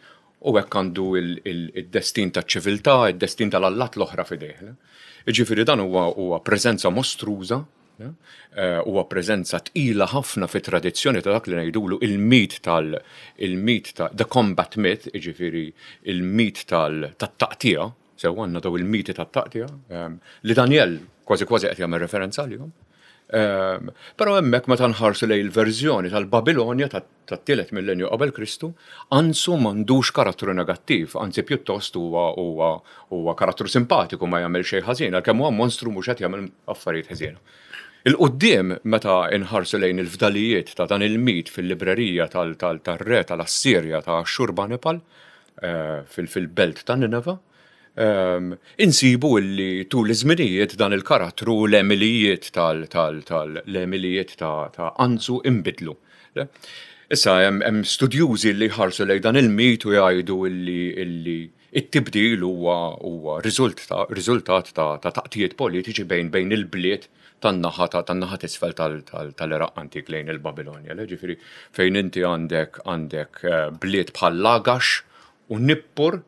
u hekk għandu il-destin ta' ċiviltà, il-destin tal-allat l-oħra f'idejh. Ġifieri dan huwa huwa preżenza mostruża, eh, huwa preżenza tqila ħafna fit tradizzjoni ta' dak li ngħidulu il-mit tal il-mit ta' the combat myth, ġifieri il-mit tal-taqtija, sew għandna daw il-miti tat-taqtija, ehm, li Daniel kważi kważi qed jagħmel referenza għalihom. Ehm, però hemmhekk meta nħarsu lejn il-verżjoni tal-Babilonja tat-tielet millenju qabel Kristu, Anzu m'għandux karattru negattiv, anzi pjuttost huwa huwa huwa karattru simpatiku, ma jagħmel xejn ħażin, għalkemm huwa monstru mhux qed jagħmel affarijiet ħażina. Il-quddiem, meta nħarsu lejn il-fdalijiet ta' dan il-mit fil-librerija tal-re tal-Assirja ta' Ashurbanipal eh, fil-belt ta' Nineva, um, insibu illi tul iż-żminijiet dan il-karattru, l-għemilijiet tal-l-għemilijiet ta' Anzu imbidlu. Issa hemm studjużi li jħarsu lejn dan il-mit u jgħidu illi illi it-tibdil huwa huwa riżultat ta' taqtijiet politiċi bejn bejn il-bliet tan-naħa tan-naħa t'isfel tal-Iraq antik lejn il-Babilonja. Ġifieri fejn inti għandek għandek eh, bliet bħal Lagax u Nippur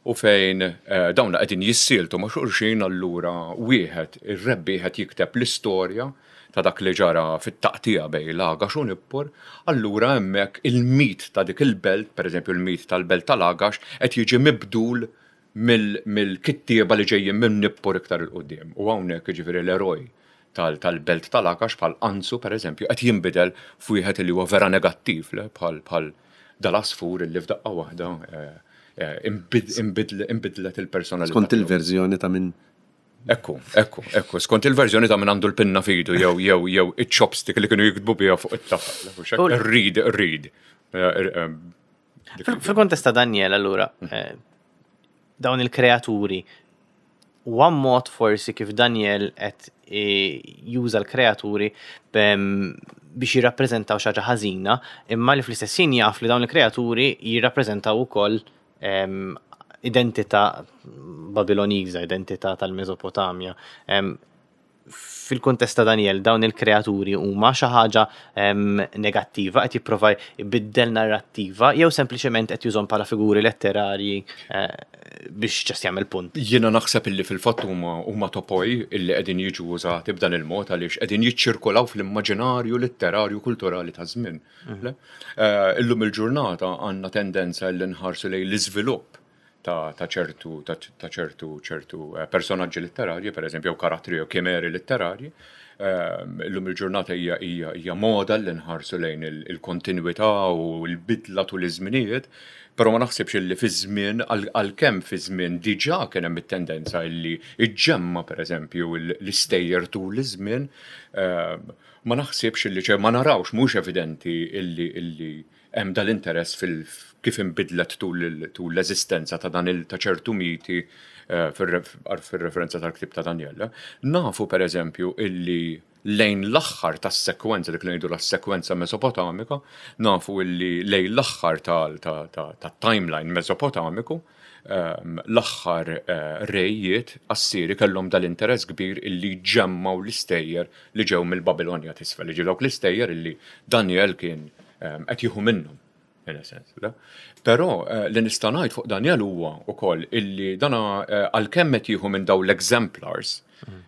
u fejn eh, dawn qegħdin jissieltu ma' xulxin, allura wieħed ir-rebbieħ qed jikteb l-istorja ta' dak li ġara fit-taqtija bejn Lagax u Nippur, allura hemmhekk il-mit ta' dik il-belt, pereżempju il-mit tal-belt ta' Lagax, qed jiġi mibdul mill-kittieba li ġejjin minn Nippur iktar 'il quddiem. U hawnhekk, jiġifieri, l-eroj tal-belt tal-Lagax bħal Anzu, pereżempju, qed jinbidel f'wieħed li huwa vera negattiv, bħal bħal dal-asfur li f'daqqa waħda eh, eh, imbidlet il-personalità. Skont il-verżjoni ta' min Ekku, ekku, ekku, skont il-verżjoni ta' min għandu l-pinna f'idu jew jew jew iċ-chopstick li kienu jiktbu biha fuq it-tafal. Read, read. Fil-kontest ta' Daniel, allura, eh, dawn il-kreaturi, u mod forsi kif Daniel qed juża l-kreaturi biex jirrappreżentaw xi ħaġa ħażina, imma li fl-istess ħin jaf li dawn il-kreaturi jirrappreżentaw ukoll identità Babiloniża, identità tal-Mesopotamja. Fil-kuntest ta' Daniel, dawn il-kreaturi huma xi ħaġa negattiva, qed jipprova jbiddel narrattiva jew sempliċement qed jużhom bħala figuri letterarji eh, biex just jagħmel punt? Jiena naħseb illi fil-fatt huma huma topoi illi qegħdin jiġu użati b'dan il-mod għaliex qegħdin jiċċirkolaw fl-immaġinarju letterarju kulturali ta' żmien. Mhm. Eh, illum il-ġurnata għandna tendenza li nħarsu lejn l-iżvilupp ta' ċertu ta' ċertu ċertu eh, personaġġi letterarji, per eżempju, jew karattri jew kimeri letterarji. Ehm, illum il-ġurnata hija hija hija moda li nħarsu lejn il-kontinuità u l-bidla tul iż-żminijiet, però ma naħsibx li fi żmien, għalkemm fi żmien diġà kien hemm it-tendenza li iġġemma, pereżempju, l-istejjer tul iż-żmien, ehm, ma naħsibx li ċe ma narawx, mhux evidenti illi illi hemm dal-interess fil kif inbidlet tul l-eżistenza ta' dan il ta' ċertu miti eh, fil-referenza tal-ktib ta' Daniel. Nafu, per eżempju, illi lejn l-aħħar tas-sekwenza, dik li ngħidu la sekwenza Mesopotamika, nafu illi lejn l-aħħar ta' timeline Mesopotamiku, ehm, l-aħħar eh, rejiet Assiri kellhom dal-interess kbir illi ġemmaw l-istejjer li ġew mill-Babilonja t'isfel, li ġew dawk l-istejjer illi Daniel kien ehm, qed jieħu minnhom, in a sense. Però eh, li nista' ngħid fuq Daniel huwa wkoll illi dana eh, għalkemm qed jieħu minn dawn l-exemplars,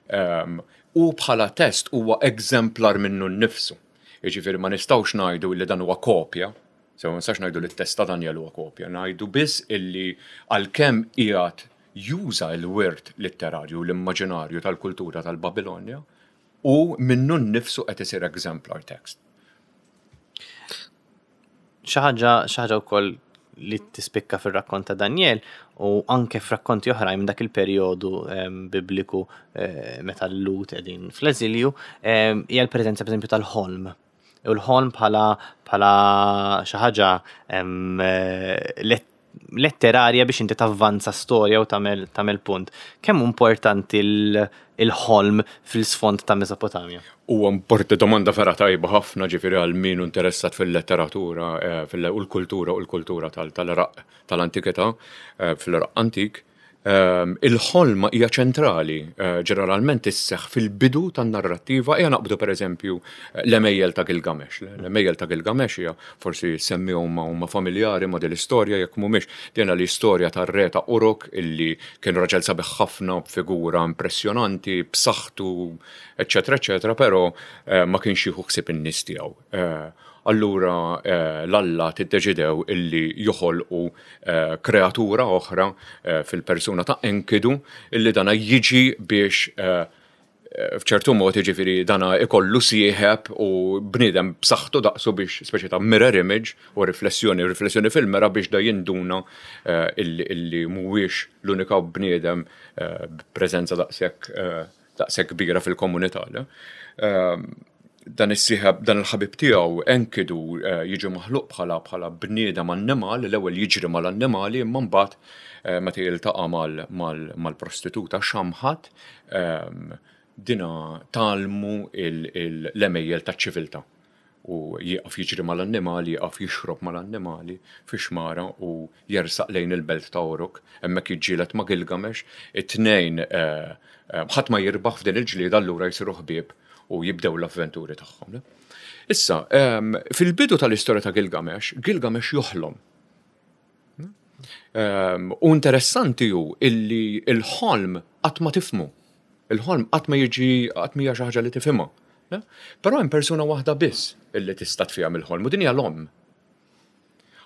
ehm, u bħala test huwa exemplar minnu nnifsu. Jiġifieri ma nistgħux ngħidu illi dan huwa kopja, so ma nistax ngħidu li t-test ta' Daniel huwa kopja, ngħidu biss illi għalkemm qiegħed juża l-wirt letterarju, l-immaġinarju tal-kultura tal-Babilonja, u minnu nnifsu qed isir exemplar text. Xi ħaġa xi ħaġa wkoll li tispikka fir-rakkont ta' Daniel u anke f'rakkonti oħrajn minn dak il-perjodu em, bibliku eh, meta l-Lhud qegħdin fl-eżilju em, hija l-preżenza, pereżempju, tal-ħolm. U l-ħolm bħala bħala xi ħaġa em, eh, let- letterarja biex inti tavvanza storja u tagħmel tagħmel punt. Kemm hu importanti l- il-ħolm fil-sfond ta' Mesopotamja? U importanti, domanda vera tajba ħafna, ġifieri għal min hu interessat fil-letteratura eh, fil- u l-kultura u l-kultura tal-Iraq tal-antikità, eh, fil-Iraq antik. Ehm, Il-ħolma hija ċentrali, eh, ġeneralment isseħ fil-bidu tan-narrattiva. Hija naqbdu, pereżempju, l-Għemejjel ta' Gilgamesh. L-Għemejjel ta' Gilgamesh hija, forsi semmi huma huma familjari ma' din l-istorja, jekk mhumiex, din l-istorja tar-re ta' Uruk illi kien raġel sabiħ ħafna, b'figura impressjonanti, b'saħħtu, eċċetera, eċċetera, però eh, ma kienx jieħu ħsieb in-nies tiegħu. Eh, Allura eh, l-alla tiddeċidew illi joħolqu eh, kreatura oħra eh, fil-persuna ta' Enkidu, illi dana jiġi biex eh, eh, f'ċertu mod, jiġifieri, dana ikollu sieħeb u bniedem b'saħħtu daqsu biex speċi ta' mirror image u riflessjoni, riflessjoni fil-mera, biex da jinduna eh, illi, illi mhuwiex l-unika bniedem eh, b'preżenza daqshekk eh, daqshekk kbira fil-komunità. Le? Eh, dan is-sieħeb, dan il-ħabib tiegħu Enkidu eh, jiġi maħluq bħala bħala bniedem annimal, l-ewwel jiġri mal-annimali, imma mbagħad eh, meta jiltaqa' mal- mal- mal-prostituta Xamħat, ehm, dina tgħallmu il- il- l-għemejjel taċ-ċiviltà. U jieqaf jiġri mal-annimali, jieqaf jixrob mal-annimali fi xmara u jersaq lejn il-belt ta' Uruk. Hemmhekk jiġġieled ma' Gilgamesh, it-tnejn eh, eh, ħadd ma jirbaħ f'din il-ġlieda, allura jsiru ħbieb u jibdew l-avventuri tagħhom. Issa, em, fil-bidu tal-istorja ta' Gilgamesh, Gilgamesh joħlom. Um, u interessanti hu illi il-ħolm qatt ma tifhmu. Il-ħolm qatt ma jiġi, qatt ma hija xi ħaġa li tifhimha. Ne? Però hemm persuna waħda biss illi tista' tfiehem il-ħolm u din hija l-omm.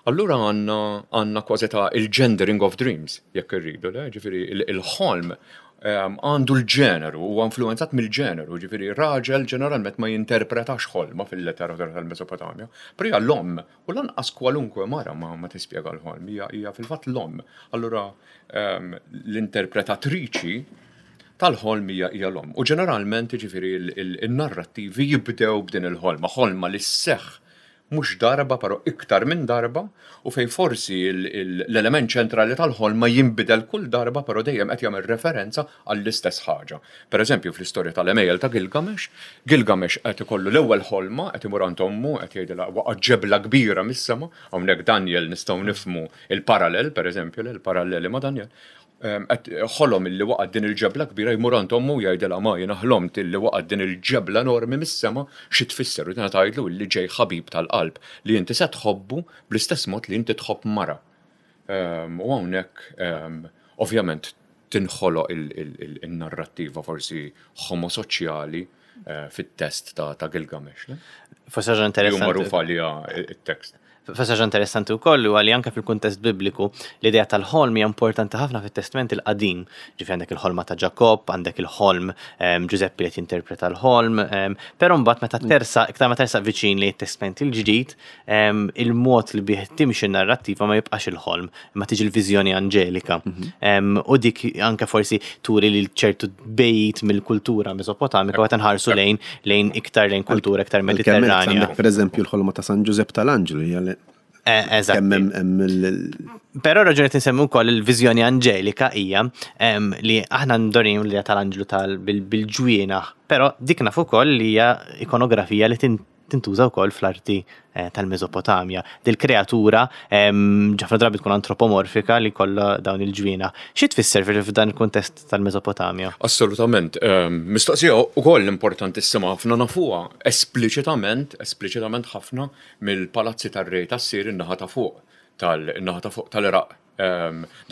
Allura għandna għandna kważi ta' il-gendering of dreams, jekk irridu, le? Ġifieri il-ħolm em, għandu l-ġeneru, huwa influenzat mill-ġeneru, ġifieri raġel ġeneralment ma jinterpretax ħolma fil-letteratura tal-Mesopotamja, però hija l-omm, u lanqas kwalunkwe mara ma, ma tispjega l-ħolm, hija, hija fil-fatt l-omm. Allura em, l-interpretatriċi tal-ħolm hija hija l-omm. U ġeneralment, ġifieri, il-narrattivi jibdew b'din il-ħolma, ħolma li sseħħ mhux darba però iktar minn darba u fejn forsi l-element ċentrali tal-ħolma jinbidel kull darba, però dejjem qed jagħmel referenza għall-istess ħaġa. Per eżempju, fl-istorja tal-għemejjel ta' Gilgamesh, Gilgamesh qed ikollu l-ewwel ħolma, qed imur għand ommu, qed jgħidilha waqa' ġebla kbira mis-sema. Hawnhekk Daniel nistgħu nifhmu il-parallel, per eżempju, il-paralleli ma' Daniel. Ħolom illi waqgħet din il-ġebla kbira, jmur għand ommu, jgħidilha: "Ma, jiena ħlomt illi waqgħet din il-ġebla enormi mis-sema, xi tfisser?" U din tgħidlu illi ġej ħabib tal-qalb li inti se tħobbu bl-istess mod li inti tħobb mara. U hawnhekk ovvjament tinħoloq il-narrattiva forsi homosoċjali eh, fit-test ta' Gilgamesh. Forsi ħaġa interessanti. Magħruf għalija it-tekst. Forsi ħaġa interessanti wkoll huwa li anke fil-kuntest bibliku l-idea tal-ħolm hija importanti ħafna fit-Testament il-Qadim. Ġifieri għandek il-ħolma ta' Ġakob, għandek il-ħolm Ġużeppi li jinterpreta l-ħolm, però mbagħad meta tersaq, iktar ma tersaq viċin li t-Testament il-Ġdid, il-mod li bih timxi n-narrattiva ma jibqax il-ħolm, imma tiġi l-viżjoni anġelika. Mhm. U dik anke forsi turi li ċertu bejt mill-kultura Mesopotamika għat nħarsu lejn lejn iktar lejn kultura iktar Mediterranja. Per eżempju, l-ħolma ta' San Ġużepp tal-Anġlu. Eh, eżatt. Però raġuni tinsemmu wkoll il-viżjoni anġelika hija li aħna ndorim li tal-anġlu tal bil-ġwienaħ, però dik nafu wkoll li hija ikonografija li tintuża wkoll fl-arti eh, tal-Mesopotamja. Dil-kreatura ħafna drabi tkun antropomorfika li kollha dawn il-ġwienaħ. Xi tfisser f'dan il-kuntest tal-Mesopotamja? Assolutament. Mistoqsija ukoll importantissima ħafna. Nafuha espliċitament, espliċitament ħafna mill-palazzi tar-rej tas-Sir in-naħa ta' fuq tal-naħa ta' fuq tal-Iraq.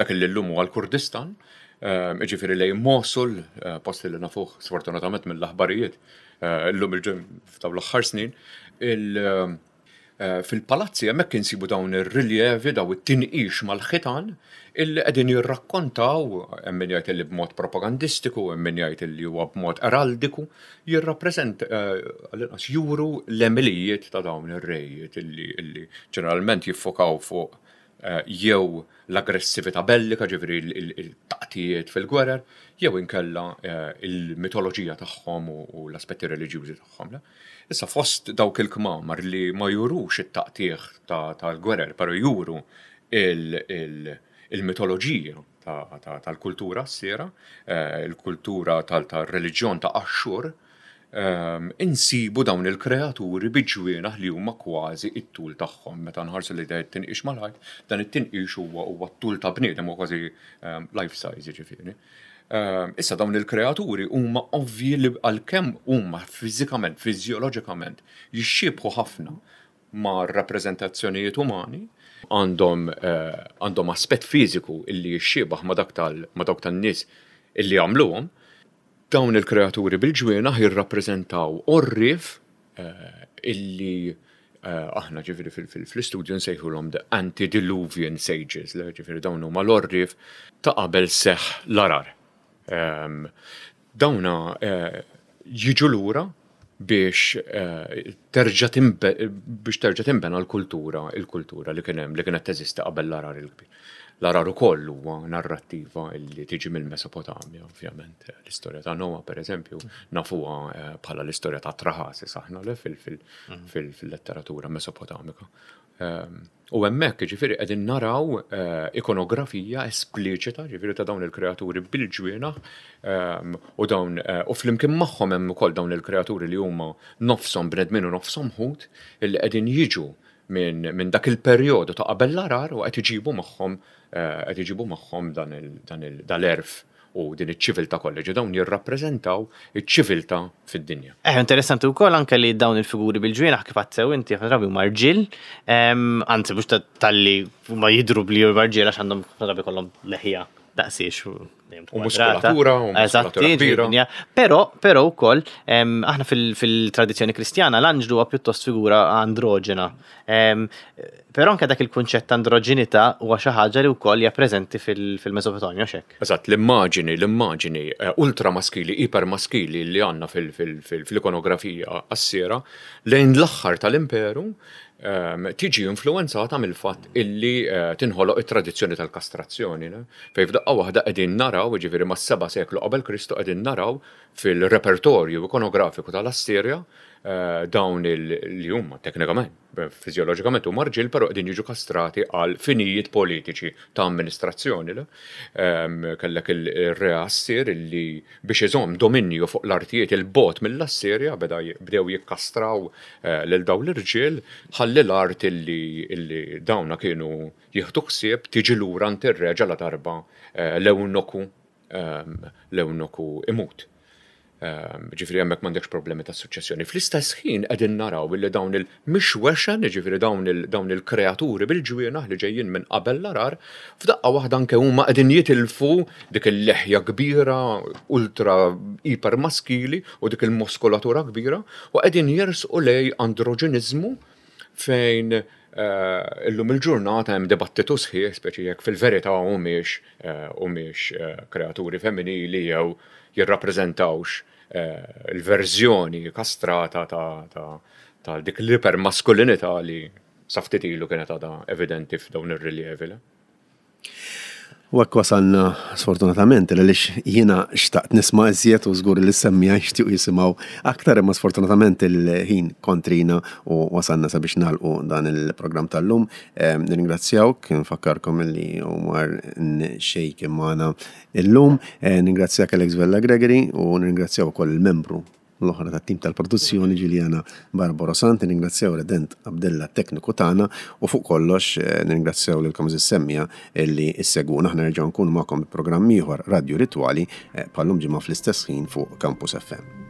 Dak li llum huwa l-Kurdistan, ġifieri lejn Mosul, eh, post li nafuh sfortunatament mill-aħbarijiet eh, illum il-ġem f'dawn l-aħħar snin, il- eh, fil-palazzi hemmhekk insibu dawn ir-riljevi, daw it-tinqix mal-ħitan illi qegħdin jirrakkontaw, hemm min jgħid li b'mod propagandistiku, hemm min jgħid li huwa b'mod eraldiku, jirrappreżent eh, għall-inqas juru l-għemilijiet ta' dawn ir-rejiet illi illi ġeneralment jiffokaw fuq eh, jew l-aggressività bellika, ġifieri il-taqtijiet fil-gwerer, jew inkella eh, il-mitoloġija tagħhom u u l-aspetti reliġjużi tagħhom. Le? Issa, fost dawk il-kmamar li ma jurux it-taqtieħ ta- tal-gwerer, però juru il- il- il-mitoloġija ta- ta- tal-kultura Assira, eh, il-kultura tal-reliġjon ta' Axxur, um, insibu dawn il-kreaturi bi ġwienaħ li huma kważi it-tul tagħhom. Meta nħarsu li dan it-tinqix mal-ħajt, dan it-tinqix huwa huwa t-tul ta' bniedem, huwa kważi um, life size, ġifieri. Um, issa dawn il-kreaturi huma ovvji li għalkemm huma fiżikament, fiżjoloġikament jixxiebħu ħafna ma' rappreżentazzjonijiet umani, għandhom eh, għandhom aspett fiżiku illi jixxiebaħ ma' dak tal ma' dawk tan-nies illi għamluhom. Dawn il-kreaturi bil-ġwienaħ jirrappreżentaw orrif eh, illi eh, aħna ġifieri fil-istudju nsejħulhom the antediluvian sages, le, ġifieri dawn huma l-orrif ta' qabel seħ l-għargħar. Em, Dawna eh, jiġu lura biex eh, terġa' timbe- biex terġa' timbena l-kultura, il-kultura li kien hemm, li kienet teżisti qabel l-għargħar il-kbir. L-għargħar ukoll huwa narrattiva li tiġi mill-Mesopotamja, ovvjament. L-istorja ta' Noah, per eżempju, nafuha eh, bħala l-istorja ta' Traħasis aħna le fil- fil- fil- fil-letteratura Mesopotamika. Ehm, u hemmhekk ġifieri qegħdin naraw eh, ikonografija espliċita ġifieri ta' dawn il-kreaturi bil-ġwienaħ ehm, u dawn eh, u flimkien magħhom hemm ukoll dawn il-kreaturi li huma nofshom bnedmin u nofshom ħut illi qegħdin jiġu minn min dak il-perjodu ta' qabel l-għargħar u qed iġibu magħhom eh, qed iġibu magħhom dan il- dan il- dal-għerf u din iċ-ċiviltà kollha, ġi dawn jirrappreżentaw iċ-ċiviltà fid-dinja. Eh, interessanti wkoll anke li dawn il-figuri bil-ġwienaħ kif għedt inti ħafna drabi huma rġiel, em, anzi mhux ta- talli huma jidhru bli huma rġiel għax għandhom ħafna drabi kollhom leħja daqsiex u dejjem U kwadrata. muskolatura, u muskolatura Eżatti, kbira. ġifieri, Però, però wkoll em, aħna fil- fil-tradizzjoni kristjana l-anġlu huwa pjuttost figura androġena. Em, Però anke dak il-kunċett ta' androġinità huwa xi ħaġa li wkoll hija preżenti fil- fil-Mesopotamja xek. Eżatt, l-immaġini, l-immaġini eh, ultramaskili, ipermaskili li għandna fil-ikonografija assira lejn l-aħħar tal-imperu ehm, tiġi influenzata mill-fatt illi eh, tinħoloq it-tradizzjoni tal-kastrazzjoni. ne? Fej f'daqqa waħda qegħdin naraw, jiġifieri mas-seba' seklu qabel Kristu qegħdin naraw fil-repertorju ikonografiku tal-Assirja eh, dawn il- li huma teknikament, fiżjoloġikament huma rġiel, però qegħdin jiġu kastrati għal finijiet politiċi ta' amministrazzjoni. le? Ehm, Kellek il-re Assir illi biex iżomm dominju fuq l-artijiet il-bogħod mill-Assirja beda j- bdew jikkastraw eh, lil dawn l-irġiel ħalli l-art illi illi dawna kienu jieħdu ħsieb tiġi lura għand ir-re ġala darba eh, l-ewnoku ehm, l-ewnoku imut. Ehm, Ġifieri hemmhekk m'għandekx problemi ta' suċċessjoni. Fl-istess ħin qegħdin naraw illi dawn il-mixwexen, ġifieri dawn il- dawn il-kreaturi bil-ġwienaħ li ġejjin minn qabel l-għargħar, f'daqqa waħda anke huma qegħdin jitilfu dik il-leħja kbira, ultra iper maskili u dik il-muskolatura kbira u qegħdin jersqu lej androġeniżmu fejn eh, illum il-ġurnata hemm dibattitu sħiħ, speċi jekk fil-verità humiex eh, humiex eh, kreaturi femminili jew jirrappreżentawx eh, il-verżjoni kastrata ta' ta' ta' dik l-ipermaskulinità li sa ftit ilu kienet għadha evidenti f'dawn ir-riljevi. le? U hekk wasalna sfortunatament għaliex jiena xtaqt nisma' iżjed u żgur li s-semmiegħa jixtiequ jisimgħu aktar imma sfortunatament il-ħin kontrina u wasalna sabiex nagħlqu dan il-programm tal-lum. Em, Nirringrazzjawk, nfakkarkom li Omar Sheikh magħna illum. Eh, Ningrazzjak Alex Vella Gregory u nirringrazzjaw ukoll il-membru l-oħra tat-tim tal-produzzjoni Giuliana Barbara Sant, nirringrazzjaw Redent Abdella tekniku tagħna u fuq kollox eh, nirringrazzjaw lilkom is-semmiegħa illi issegwuna. Aħna nerġgħu nkunu magħkom bi programm ieħor Radio Ritwali eh, bħal-lum ġimgħa fl-istess ħin fuq Campus F M.